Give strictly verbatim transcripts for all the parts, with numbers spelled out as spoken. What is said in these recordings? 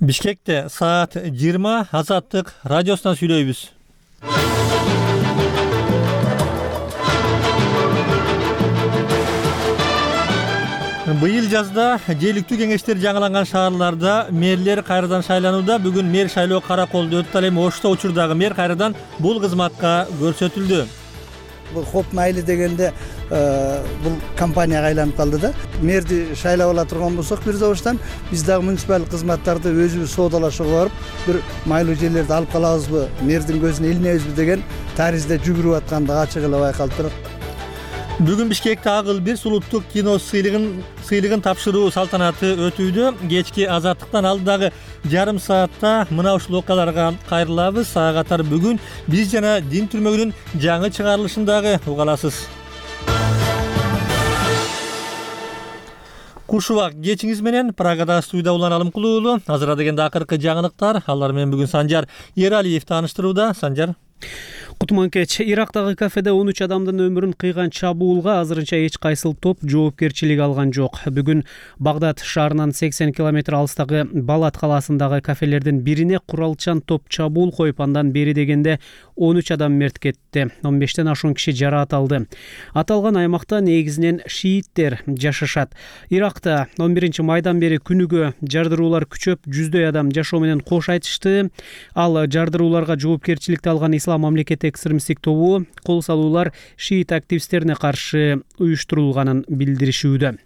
Бишкекте саат жыйырма Азаттык радиосунан сүйлөйбүз. Быйыл жазда жергиликтүү кеңештер жаңыланган шаарларда мэрлер кайрадан шайланууда. Бүгүн мэр шайлоо караколдо өтүп, ал эми Ошто учурдагы мэр кайрадан бул кызматка көрсөтүлдү. Бул хоп майли дегенде бул компанияга айланып калды да. Мэрди шайлап ала турган болсок бир добуштан биз дагы муниципалдык кызматтарды өзүбүз соодалашууга барып, бир майлуу жерлерди алып калабызбы, мэрдин көзүнө илинебизби деген таризде жүгүрүп аткандыгы ачык эле байкалып турат. Бүгүн Бишкекте Агыл бир улуттук кино сыйлыгын сыйлыгын тапшыруу салтанаты өтүүдө. Кечки Азаттыктан алдыдагы жарым саатта мына ушул окуяларга кайрылабыз. Ага катар бүгүн биз жана дин түрмөгүнүн жаңы чыгарылышын дагы уга аласыз. Куш убак кечиңиз менен Прагада студияда Улан Алымкулуу уулу. Азыр дегенде акыркы жаңылыктар. Алар менен бүгүн Санжар Эралиев тааныштырууда. Санжар. Кутман кеч. Ирактагы кафеде он үч адамдын өмүрүн кыйган чабуулга азырынча эч кайсыл топ жоопкерчилик алган жок. Бүгүн Багдад шаарынан сексен километр алыстагы Балат калаасындагы кафелердин бирине куралчан топ чабуул коюп, андан бери дегенде он үч адам мерт кетти. он бештен ашуун киши жараат алды. Аталган аймакта негизинен шииттер жашашат. Иракта он биринчи майдан бери күнүгө жардыруулар күчөп, жүздөй адам жашоо менен кош айтышты. Ал жардырууларга жоопкерчиликти алган Ислам мамлекети экстремисттик тобу кол салуулар шиит активисттерине каршы уюштурулганын билдиришүүдө.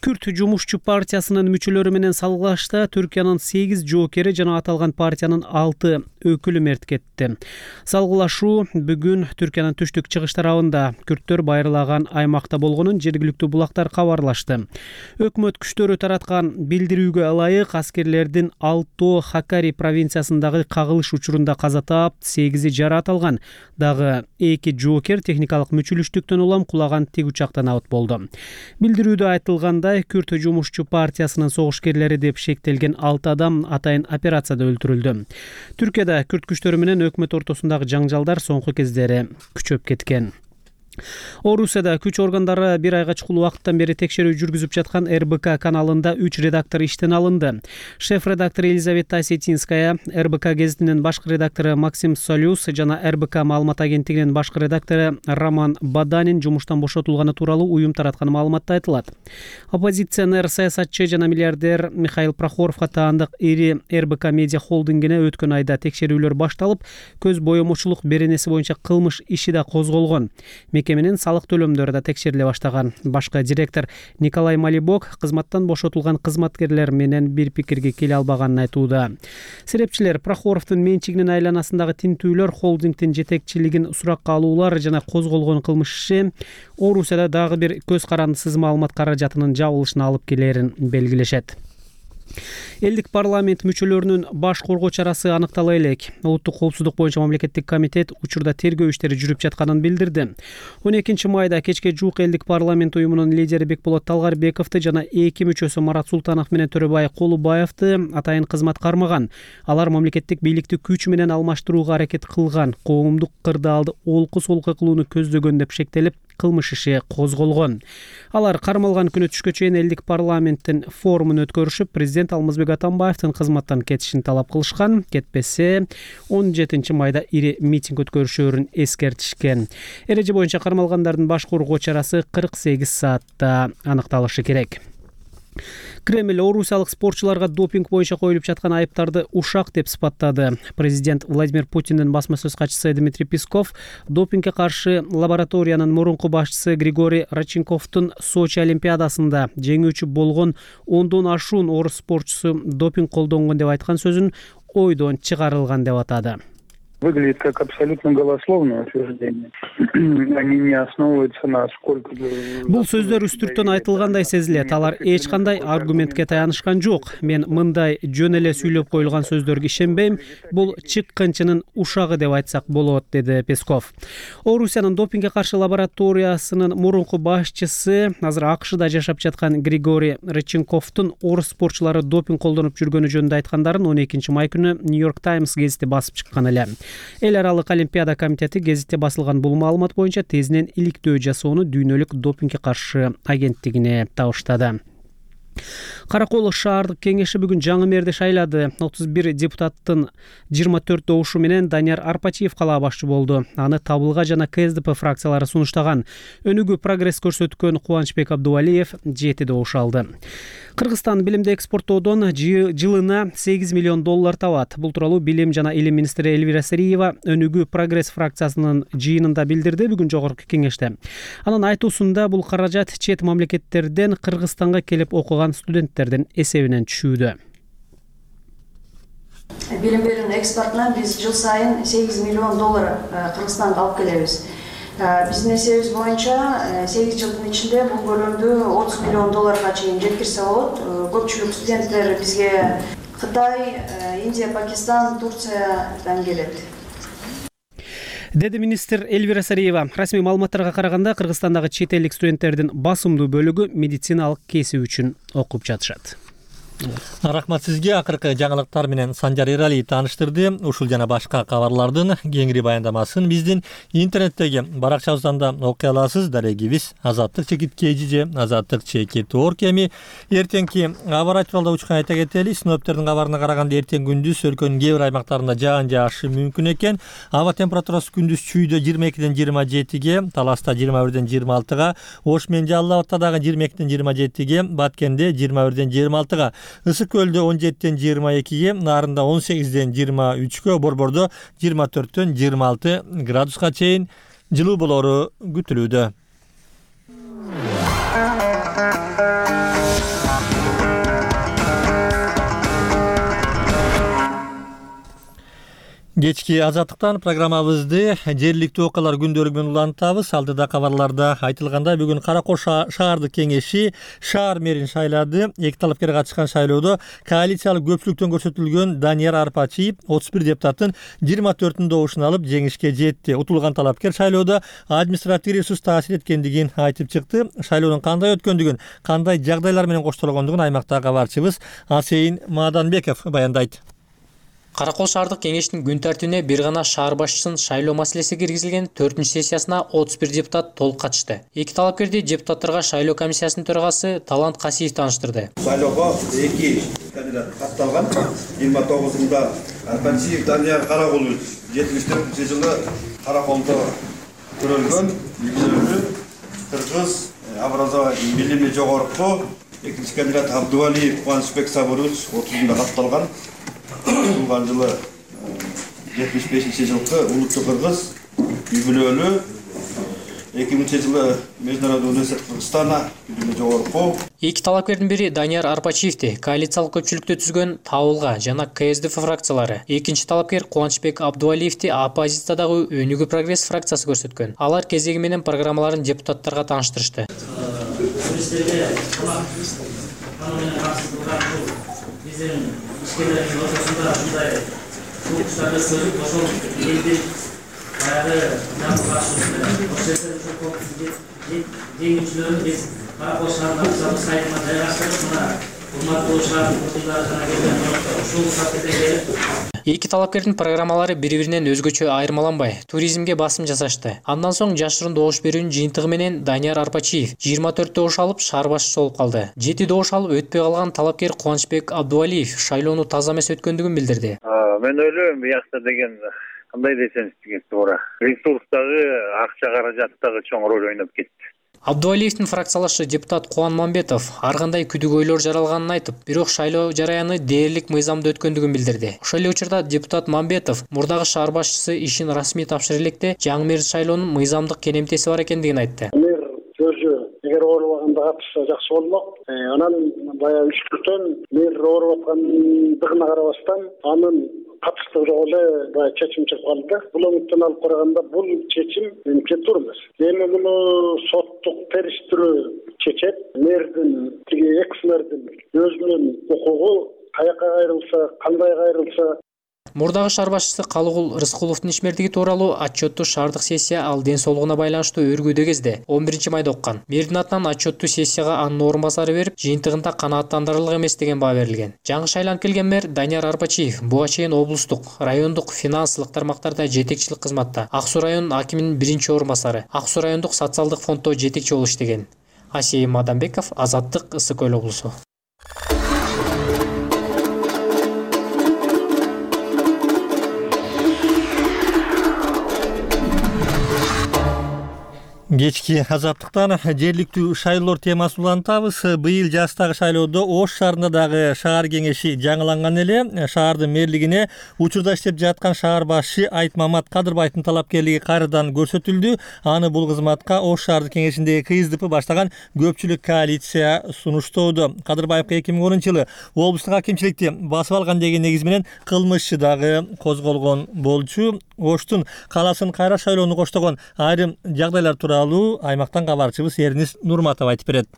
Күрт жумушчу партиясынын мүчөлөрү менен салгылашта Түркиянын сегиз жоокери жана аталган партиянын алты өкүлү мерт кетти. Салгылашуу бүгүн Түркиянын түштүк чыгыш тарабында күрттөр байырлаган аймакта болгонун жергиликтүү булактар кабарлашты. Өкмөт күчтөрү тараткан билдирүүгө ылайык аскерлердин Алто Хакари провинциясындагы кагылыш учурунда каза таап, сегизи жараат алган. Дагы эки жоокер техникалык мүчүлүштүктөн улам кулаган тик учактан абыт болду. Билдирүүдө айтылгандай, Күрт жумушчу партиясынын согушкерлери деп шектелген алты адам атайын операцияда өлтүрүлдү. Түркияда күрт күчтөрү менен өкмөт ортосундагы жаңжалдар соңку кездери күчөп кеткен. Орусияда күч органдары бир айга чукул убакыттан бери текшерүү жүргүзүп жаткан эр бэ ка каналында үч редактор иштен алынды. Шеф-редактор Елизавета Осетинская, эр бэ ка гезитинин башкы редактору Максим Солюс жана эр бэ ка маалымат агенттигинин башкы редактору Роман Баданин жумуштан бошотулганы тууралуу уюм тараткан маалыматта айтылат. Оппозиционер, саясатчы жана миллиардер Михаил Прохоровго таандык ири эр бэ ка медиа холдингине өткөн айда текшерүүлөр башталып, көз боемочулук беренеси боюнча кылмыш иши да козголгон. Мекеменин салык төлөмдөрү да текшериле баштаган. Башкы директор Николай Малибок кызматтан бошотулган кызматкерлер менен бир пикирге келе албаганын айтууда. Серепчилер Прохоровдун менчигинин айланасындагы тинтүүлөр, холдингдин жетекчилигин суракка алуулар жана козголгон кылмыш иши Орусияда дагы бир көз карандысыз маалымат каражатынын жабылышына алып келерин белгилешет. Элдик парламент мүчөлөрүнүн баш коргоо чарасы аныктала элек. Улуттук коопсуздук боюнча мамлекеттик комитет учурда тергөө иштери жүрүп жатканын билдирди. он экинчи майда кечке жуук элдик парламент уюмунун лидери Бекболот Талгарбековду жана эки мүчөсү Марат Султанов менен Төрөбай Колубаевди атайын кызмат кармаган. Алар мамлекеттик бийликти күч менен алмаштырууга аракет кылган, коомдук кырдаалды олку-солку кылууну көздөгөн деп шектелип, кылмыш иши козголгон. Алар кармалган күнү түшкө чейин элдик парламенттин форумун өткөрүшүп, президент Алмазбек Атамбаевдин кызматтан кетишин талап кылышкан. Кетпесе он жетинчи майда ири митинг өткөрүшөөрүн эскертишкен. Эреже боюнча кармалгандардын баш коргоо чарасы кырк сегиз саатта аныкталышы керек. Кремль орусиялык спортчуларга допинг боюнча коюлуп жаткан айыптарды ушак деп сыпаттады. Президент Владимир Путиндин басма сөз катчысы Дмитрий Песков допингге каршы лабораториянын мурунку башчысы Григорий Родченковдун Сочи олимпиадасында жеңүүчү болгон ондон ашуун орус спортчусу допинг колдонгон деп айткан сөзүн ойдон чыгарылган деп атады. Выглядит как абсолютно голословное утверждение. Они не основываются на сколько... Бул сөздөр үстүртөн айтылгандай сезилет. Алар эч кандай аргументке таянышкан жок. Мен мындай жөн эле сүйлөп коюлган сөздөргө ишенбейм. Бул чыккынчынын ушагы деп айтсак болот, деди Песков. Орусиянын допингге каршы лабораториясынын мурунку башчысы, азыр а ка шда жашап жаткан Григорий Родченковдун орус спортчулары допинг колдонуп жүргөнү жөнүндө айткандарын он экинчи май күнү Нью-Йорк Таймс гезити басып чыккан эле. Эл аралык олимпиада комитети гезитте басылган бул маалымат боюнча тезинен иликтөө жасоону Дүйнөлүк допингге каршы агенттигине табыштады. Каракол шаардык кеңеши бүгүн жаңы мэрди шайлады. отуз бир депутаттын жыйырма төрт добушу менен Данияр Арпачиев кала башчы болду. Аны Табылга жана КСДП фракциялары сунуштаган. Өнүгүү прогресс көрсөткөн Кубанычбек Абдувалиев жети добуш алды. Кыргызстан билимди экспорттоодон жылына сегиз миллион доллар табат. Бул тууралуу Билим жана Илим министри Элвира Сариева Өнүгүү прогресс фракциясынын жыйынында билдирди бүгүн жогорку кеңеште. Анын айтуусунда бул каражат чет мамлекеттерден Кыргызстанга келип окуган студенттердин эсебинен түшүүдө. Билим берүүнүн экспортунан биз жыл сайын сегиз миллион доллар Кыргызстанга алып келебиз. Биздин эсебибиз боюнча сегиз жылдын ичинде бул көлөмдү отуз миллион долларга чейин жеткирсе болот. Көпчүлүк студенттер бизге Кытай, Индия, Пакистан, Турциядан келет. Деди министр Элвира Сариева. Расмий маалыматтарга караганда Кыргызстандагы чет элдик студенттердин басымдуу бөлүгү медициналык кесип үчүн окуп жатышат. Рахмат сизге. Акыркы жаңылыктар менен Санжар Эралиев тааныштырды. Ушул жана башка кабарлардын кеңири баяндамасын биздин интернеттеги баракчабыздан да окуй аласыз. Дарегибиз Азаттык чекит кей же Азаттык чекит орг. Эми эртеңки аба ырайы тууралуу учкан айта кетели. Синоптиктердин кабарына караганда эртең күндүз өлкөнүн кээ бир аймактарында жаан жаашы мүмкүн экен. Аба температурасы күндүз чүйдө жыйырма экиден жыйырма жетиге, Таласта жыйырма бирден жыйырма алтыга, Ош менен Жалал Абадта дагы жыйырма экиден жыйырма жетиге, Баткенде жыйырма бирден жыйырма алтыга, Ысык көлдө он жетиден жыйырма экиге, Нарында он сегизден жыйырма үчкө, Борбордо жыйырма төрттөн жыйырма алты градуска чейин жылуу болору күтүлүүдө. Кечки Азаттыктан программабызды жергиликтүү окуялар күндөлүгү менен улантабыз. Алдыда кабарларда айтылгандай, бүгүн Каракол шаардык кеңеши шаар мэрин шайлады. Эки талапкер катышкан шайлоодо коалициялык көпчүлүктөн көрсөтүлгөн Данияр Арпачиев отуз бир депутаттын жыйырма төртүн добушун алып жеңишке жетти. Утулган талапкер шайлоодо административдик ресурс таасир эткендигин айтып чыкты. Шайлоонун кандай өткөндүгүн, кандай жагдайлар менен коштолгондугун аймактагы кабарчыбыз Асейин Маданбеков баяндайт. Каракол шаардык кеңештин күн тартибине бир гана шаар башчысын шайлоо маселеси киргизилген төртүнчү сессиясына отуз бир депутат толук катышты. Эки талапкерди депутаттарга шайлоо комиссиясынын төрагасы Талант Касиев тааныштырды. Шайлоого эки кандидат катталган. жыйырма тогузунда Арпачиев Данияр Каракулович жетимиш төртүнчү жылы Караколдо төрөлгөн, билимдүү кыргыз образование билими жогорку. Экинчи кандидат Абдувалиев Кубанычбек Сабырович отузунда катталган. Туулган жылы жетимиш бешинчи жылкы улуттук кыргыз, үй-бүлөлүү. эки миңинчи жылы Международный университет Кыргызстана билими жогорку. Эки талапкердин бири Данияр Арпачиевди коалициялык көпчүлүктө түзгөн Табылга жана КСДП фракциялары. Экинчи талапкер Кубанычбек Абдувалиевди оппозициядагы Өнүгүү прогресс фракциясы көрсөткөн. Алар кезеги менен программаларын депутаттарга тааныштырышты. İşçilerin ortasında bunday bu kuşlarda sözü boşol eldi bayağı yapı karşılığında o sesleri çok korkutucu yengilçilerin biz Karakol şaharlarımızı saytına dayanıştık buna hurmatlı oluşların kurtullarına gelen yoktu. Uşul saatede gelip Эки талапкердин программалары бири-биринен өзгөчө айырмаланбай, туризмге басым жасашты. Андан соң жашырын добуш берүүнүн жыйынтыгы менен Данияр Арпачиев жыйырма төрт добуш алып шаар башчысы болуп калды. жети добуш алып өтпөй калган талапкер Кубанычбек Абдувалиев шайлоону таза эмес өткөндүгүн билдирди. Мен ойлойм, биякта деген кандай десеңиз деген туура. Ресурстагы, акча каражаттагы чоң роль ойноп кетти. Абдувалиевдин фракциялашы депутат Кубан Мамбетов ар кандай күдүгөйлөр жаралганын айтып, бирок шайлоо жараяны дээрлик мыйзамда өткөндүгүн билдирди. Ошол эле учурда депутат Мамбетов мурдагы шаар башчысы ишин расмий тапшырып электе жаңы мэр шайлоонун мыйзамдык кенемтеси бар экендигин айтты. Мэр сөзү эгер оорубаганда катышса жакшы болмок. Анан баягы үчтүктөн мэр ооруп аткандыгына карабастан анын катыштыгы жок эле баягы чечим чыгып калды. Бул үмүттөн алып караганда бул чечим менимче туура эмес. Эми муну соттук териштирүү чечет. Мэрдин тиги экс мэрдин өзүнүн укугу каяка кайрылса, кандай кайрылса. Мурдагы шаар башчысы Калыгул Рыскуловдун ишмердиги тууралуу отчетту шаардык сессия ал ден соолугуна байланыштуу өргүүдө кезде он биринчи майда оккан. Мэрдин атынан отчетту сессияга анын орун басары берип, жыйынтыгында канааттандырарлык эмес деген баа берилген. Жаңы шайланып келген мэр Данияр Арпачиев буга чейин облустук, райондук финансылык тармактарда жетекчилик кызматта, Ак Суу районунун акиминин биринчи орун басары, Ак Суу райондук социалдык фонддо жетекчи болуп иштеген. Асейин Маданбеков, Азаттык, Ысык Көл облусу. Кечки азаттыктан жергиликтүү шайлоолор темасын улантабыз. Быйыл жастагы шайлоодо Ош шаарында дагы шаар кеңеши жаңыланган эле. Шаардын мэрлигине учурда иштеп жаткан шаар башчы Айтмамат Кадырбаевдин талапкерлиги кайрадан көрсөтүлдү. Аны бул кызматка Ош шаардык кеңешиндеги КСДП баштаган көпчүлүк коалиция сунуштоодо. Кадырбаевга эки миң онунчу жылы облустук акимчиликти басып алган деген негиз менен кылмыш дагы козголгон болчу. Оштун калаасын кайра шайлоону коштогон айрым жагдайлар тууралуу аймактан кабарчыбыз Эрнис Нурматов айтып берет.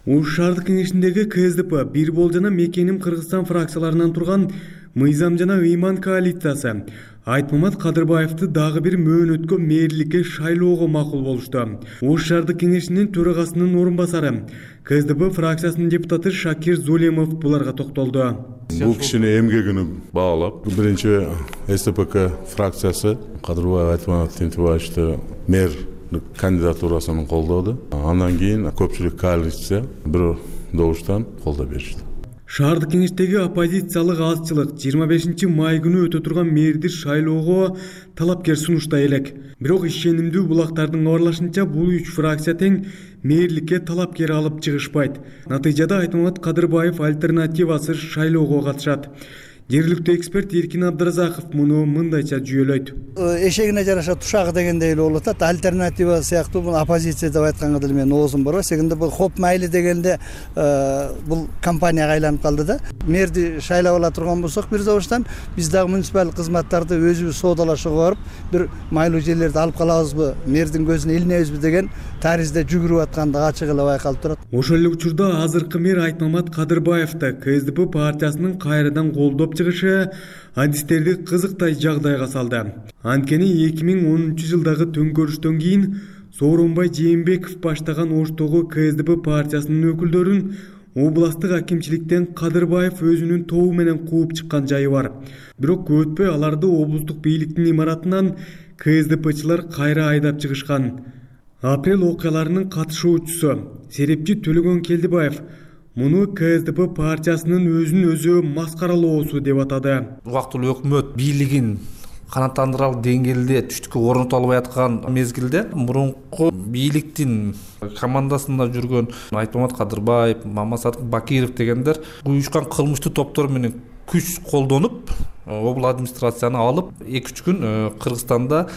Ош шаардык кеңешиндеги КСДП бир бол жана Мекеним Кыргызстан фракцияларынан турган Мыйзам жана ыйман коалициясы Айтмамат Кадырбаевди дагы бир мөөнөткө мэрликке шайлоого макул болушту. Ош шаардык кеңешинин төрагасынын орун басары КСДП фракциясынын депутаты Шакир Зулемов буларга токтолду. Бул кишинин эмгегин баалап, биринчи СТПК фракциясы Кадырбаев Айтмамат Тентибаевичти мэр кандидатурасын колдоду. Андан кийин көпчүлүк коалиция бир добуштан колдоо беришти. Шаардык кеңештеги оппозициялык азчылык жыйырма бешинчи май күнү өтө турган мэрди шайлоого талапкер сунуштай элек. Бирок ишенимдүү булактардын кабарлашынча бул үч фракция тең мэрликке талапкер алып чыгышпайт. Натыйжада Айтмамат Кадырбаев альтернативасыз шайлоого катышат. Жергиликтүү эксперт Эркин Абдыразаков муну мындайча жүйөлөйт. Эшегине жараша тушагы дегендей эле болуп атат. Альтернатива сыяктуу бул оппозиция деп айтканга деле менин оозум барбайт. Секинде бул хоп майли дегенде бул компанияга айланып калды да. Мэрди шайлап ала турган болсок бир добуштан биз дагы муниципалдык кызматтарды өзүбүз соодалашууга барып бир майлуу жерлерди алып калабызбы, мэрдин көзүнө илинебизби деген таризде жүгүрүп аткандыгы ачык эле байкалып турат. Ошол эле учурда азыркы мэр Айтмамат Кадырбаевди КСДП партиясынын кайрадан колдоп чыгышы адистерди кызыктай жагдайга салды. Анткени эки миң онунчу жылдагы төңкөрүштөн кийин Сооронбай Жээнбеков баштаган Оштогу КСДП партиясынын өкүлдөрүн областтык акимчиликтен Кадырбаев өзүнүн тобу менен кууп чыккан жайы бар. Бирок көп өтпөй аларды облустук бийликтин имаратынан КСДПчылар кайра айдап чыгышкан. Апрель окуяларынын катышуучусу серепчи Төлөгөн Келдибаев муну КСДП партиясынын өзүн өзү маскаралоосу деп атады. Убактылуу өкмөт бийлигин канааттандыралы деңгээлде түштүккө орното албай аткан мезгилде мурунку бийликтин командасында жүргөн Айтмамат Кадырбаев, Мамасат Бакиров дегендер уюшкан кылмыштуу топтор менен күч колдонуп, обул администрацияны алып, эки үч күн Кыргызстанда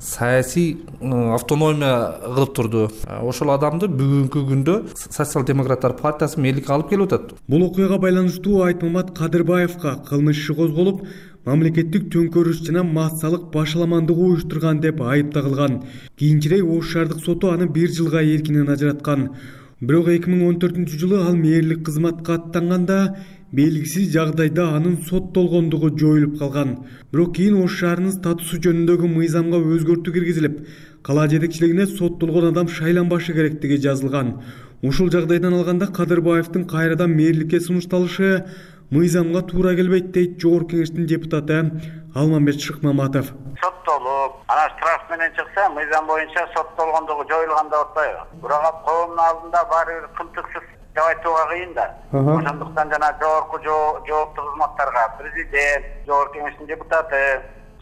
саясий автономия кылып турду. Ошол адамды бүгүнкү күндө Социал-демократтар партиясы мэрликке алып келип атат. Бул окуяга байланыштуу Айтмамат Кадырбаевга кылмыш иши козголуп, мамлекеттик төңкөрүш жана массалык башаламандык уюштурган деп айып тагылган. Кийинчерээк Ош шаардык соту аны бир жылга эркинен ажыраткан. Бирок эки миң он төртүнчү жылы ал мэрлик кызматка аттанганда белгисиз жагдайда анын соттолгондугу жоюлуп калган. Бирок кийин Ош шаарынын статусу жөнүндөгү мыйзамга өзгөртүү киргизилип, кала жетекчилигине соттолгон адам шайланбашы керектиги жазылган. Ушул жагдайдан алганда Кадырбаевдин кайрадан мэрликке сунушталышы мыйзамга туура келбейт дейт Жогорку кеңештин депутаты Алмамбет Шыкмаматов. Соттолуп, анан штраф менен чыкса, мыйзам боюнча соттолгондугу жоюлган деп атпайбы? Бирок коомдун алдында баары бир кымтыксыз деп айтууга кыйын да. Ошондуктан жана жогорку жооптуу кызматтарга президент, Жогорку кеңештин депутаты,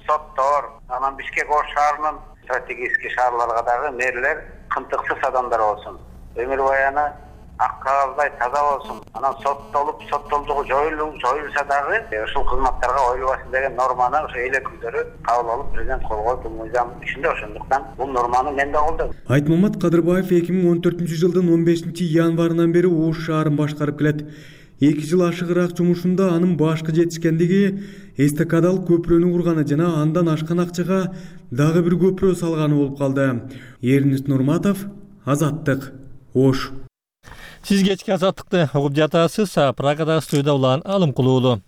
соттор, анан Бишкек Ош шаарынын стратегический шаарларга дагы мэрлер кымтыксыз адамдар болсун. Өмүр баяны ак кагаздай таза болсун. Анан соттолуп, соттолдугу жоюлса дагы ушул кызматтарга коюлбасын деген норманы ошо эл өкүлдөрү кабыл алып, президент кол коюп, бул мыйзам ичинде. Ошондуктан бул норманы мен да колдойм. Айтмамат Кадырбаев эки миң он төртүнчү жылдын он бешинчи январынан бери Ош шаарын башкарып келет. эки жыл ашыгыраак жумушунда анын башкы жетишкендиги эстакадалык көпүрөнү курганы жана андан ашкан акчага дагы бир көпүрө салганы болуп калды. Эрнис Нурматов, Азаттык, Ош. Сиз кечки азаттыкты угуп жатасыз. Прагадагы студияда улан Алым Кулуулу.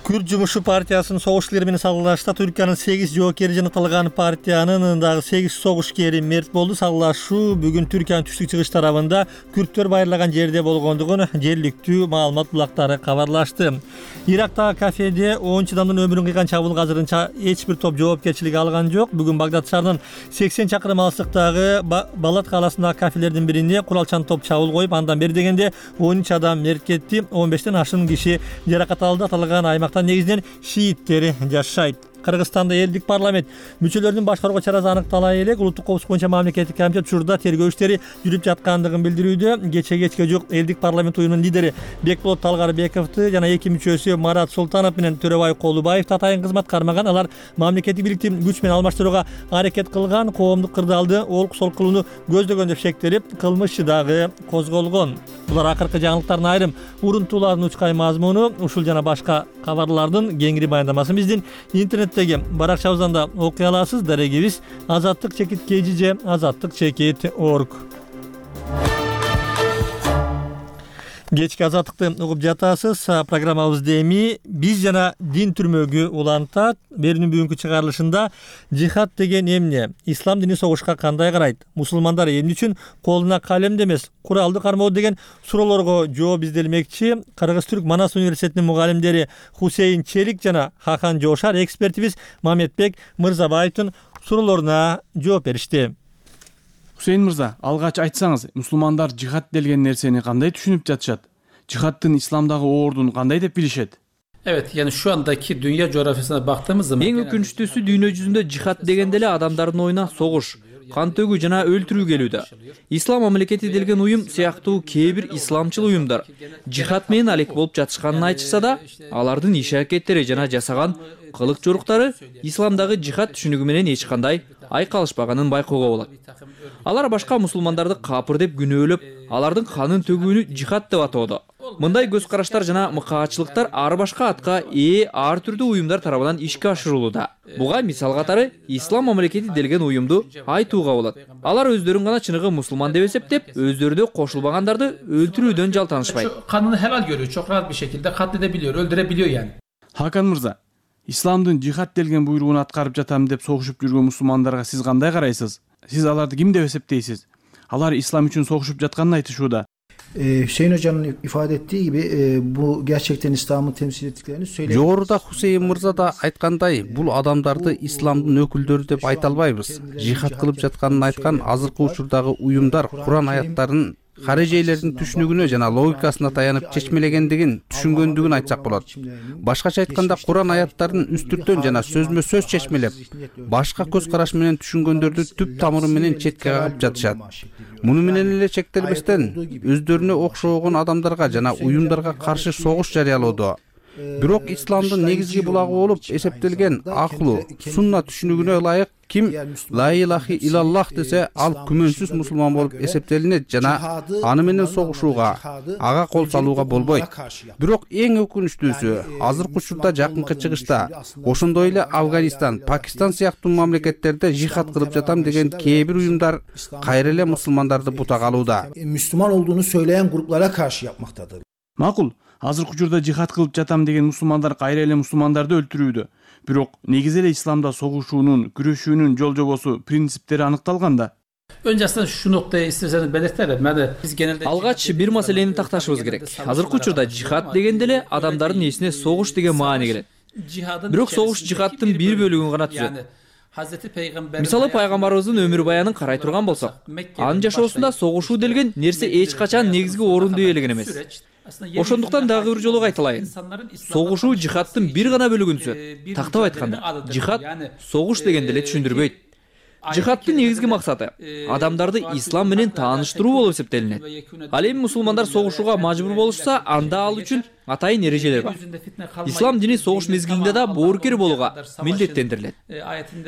Күрд жумушу партиясынын согушчулары менен салгылашта Түркиянын сегиз жоокери жанатылган партиянын дагы сегиз согушкери мерт болду. Салгылашуу бүгүн Түркиянын түштүк чыгыш тарабында күрдтөр байырлаган жерде болгондугун жергиликтүү маалымат булактары кабарлашты. Ирактагы кафеде онунчу адамдын өмүрүн кыйган чабуулга азырынча эч бир топ жоопкерчилик алган жок. Бүгүн Багдад шаарынын сексен чакырым алыстыктагы Балат калаасындагы кафелердин бирине куралчан топ чабуул коюп, андан бери дегенде он үч адам мерт кетти. он бештен ашуун киши жаракат алды. Аталган аймактан негизинен шииттери жашайт. Кыргызстанда элдик парламент мүчөлөрүнүн башкарууга чарасы аныктала элек улуттук коопсуздук боюнча мамлекеттик комитет учурда тергөө иштери жүрүп жаткандыгын билдирүүдө. Кече кечке жок элдик парламент уюмунун лидери Бекболот Талгарбековду жана эки мүчөсү Марат Султанов менен Төрөбай Колубаев татайын кызмат кармаган. Алар мамлекеттик бийликти күч менен алмаштырууга аракет кылган, коомдук кырдаалды олк солк кылууну көздөгөн деп шектелип, кылмыш дагы козголгон. Булар акыркы жаңылыктардын айрым урунтууларынын учкай мазмуну. Ушул жана башка кабарлардын кеңири баяндамасын биздин интернеттеги баракчабыздан да окуй аласыз. Дарегибиз азаттык чекит kgj азаттык чекит точка орг. Кечки азаттыкты угуп жатасыз. Программабызды эми биз жана дин түрмөгү улантат. Берүүнүн бүгүнкү чыгарылышында жихад деген эмне? Ислам дини согушка кандай карайт? Мусулмандар эмне үчүн колуна калемди эмес, куралды кармоо деген суроолорго жооп изделмекчи. Кыргыз-Түрк Манас университетинин мугалимдери Хусейин Челик жана Хахан Жошар, экспертибиз Мамедбек Мырзабаевдин суроолоруна жооп беришти. Хусейин мырза, алгач айтсаңыз, мусулмандар жихад деген нерсени кандай түшүнүп жатышат? Жихадтын исламдагы ордун кандай деп билишет? Evet, yani şu andaki dünya coğrafyasına baktığımız zaman эң өкүнүчтүүсү дүйнө жүзүндө жихад дегенде эле адамдардын оюна согуш, кан төгүү жана өлтүрүү келүүдө. Ислам мамлекети делген уюм сыяктуу кээ бир исламчыл уюмдар жихад менен алек болуп жатышканын айтышса да, алардын иш аракеттери жана жасаган кылык жоруктары исламдагы жихад түшүнүгү менен эч кандай айкалышпаганын байкоого болот. Алар башка мусулмандарды капыр деп күнөөлөп, алардын канын төгүүнү жихад деп атоодо. Мындай көз караштар жана мыкаачылыктар ар башка атка ээ ар түрдүү уюмдар тарабынан ишке ашырылууда. Буга мисал катары Ислам мамлекети делген уюмду айтууга болот. Алар өздөрүн гана чыныгы мусулман деп эсептеп, өздөрү кошулбагандарды өлтүрүүдөн жалтанышпайт. Kanunu helal görüyor, çok rahat bir şekilde katledebiliyor, öldürebiliyor yani. Hakan мырза, исламдын жихад делген буйругун аткарып жатам деп согушуп жүргөн мусулмандарга сиз кандай карайсыз? Сиз аларды ким деп эсептейсиз? Алар ислам үчүн согушуp жатканын айтышууда. Ee, Hüseyin Hoca'nın ifade ettiği gibi e, bu gerçekten İslam'ı temsil ettiklerini söyleyebiliriz. Жогоруда Хусейин мырза да айткандай, бул адамдарды исламдын өкүлдөрү деп айта албайбыз. Жихад кылып жатканын айткан азыркы учурдагы уюмдар Куран аяттарын карежейлердин түшүнүгүнө жана логикасына таянып чечмелегендигин түшүнгөндүгүн айтсак болот. Башкача айтканда Куран аяттарын үстүртөн жана сөзмө сөз чечмелеп, башка көз караш менен түшүнгөндөрдү түп тамыры менен четке кагып жатышат. Муну менен эле чектелбестен өздөрүнө окшогон адамдарга жана уюмдарга каршы согуш жарыялоодо. Бирок исламдын негизги булагы болуп эсептелген акылуу, сунна түшүнүгүнө ылайык ким ла илахи илаллах десе, ал күмөнсүз мусулман болуп эсептелинет жана аны менен согушууга, ага кол салууга болбойт. Бирок эң өкүнүчтүүсү, азыркы учурда жакынкы чыгышта, ошондой эле Афганистан, Пакистан сыяктуу мамлекеттерде жихад кылып жатам деген кээ бир уюмдар кайра эле мусулмандарды бутак алууда. Müslüman olduğunu söyleyen gruplara karşı yapmaktadır. Макул, азыркы учурда жихад кылып жатам деген мусулмандар кайра эле мусулмандарды өлтүрүүдө. Бирок негизи эле исламда согушуунун, күрөшүүнүн жол жобосу, принциптери аныкталган да. Önce aslında şu noktayı isterseniz belirtelim. Ben de biz genelde Алгач бир маселени такташыбыз керек. Азыркы учурда жихад дегенде эле адамдардын эсине согуш деген маани келет. Бирок согуш жихадтын бир бөлүгүн гана түзөт. Мисалы пайгамбарыбыздын өмүр баянын карай турган болсок, анын жашоосунда согушуу делген нерсе эч качан негизги орунду ээлеген эмес. Ошондуктан дагы бир жолу айтылайын. Согушуу жихадтын бир гана бөлүгүн түзөт. Тактап айтканда, жихад согуш дегенде эле түшүндүрбөйт. Жихадтын негизги максаты адамдарды ислам менен тааныштыруу болуп эсептелинет. Ал эми мусулмандар согушууга мажбур болушса, анда ал үчүн атайын эрежелер бар. Ислам дини согуш мезгилинде да боорукер болууга милдеттендирилет.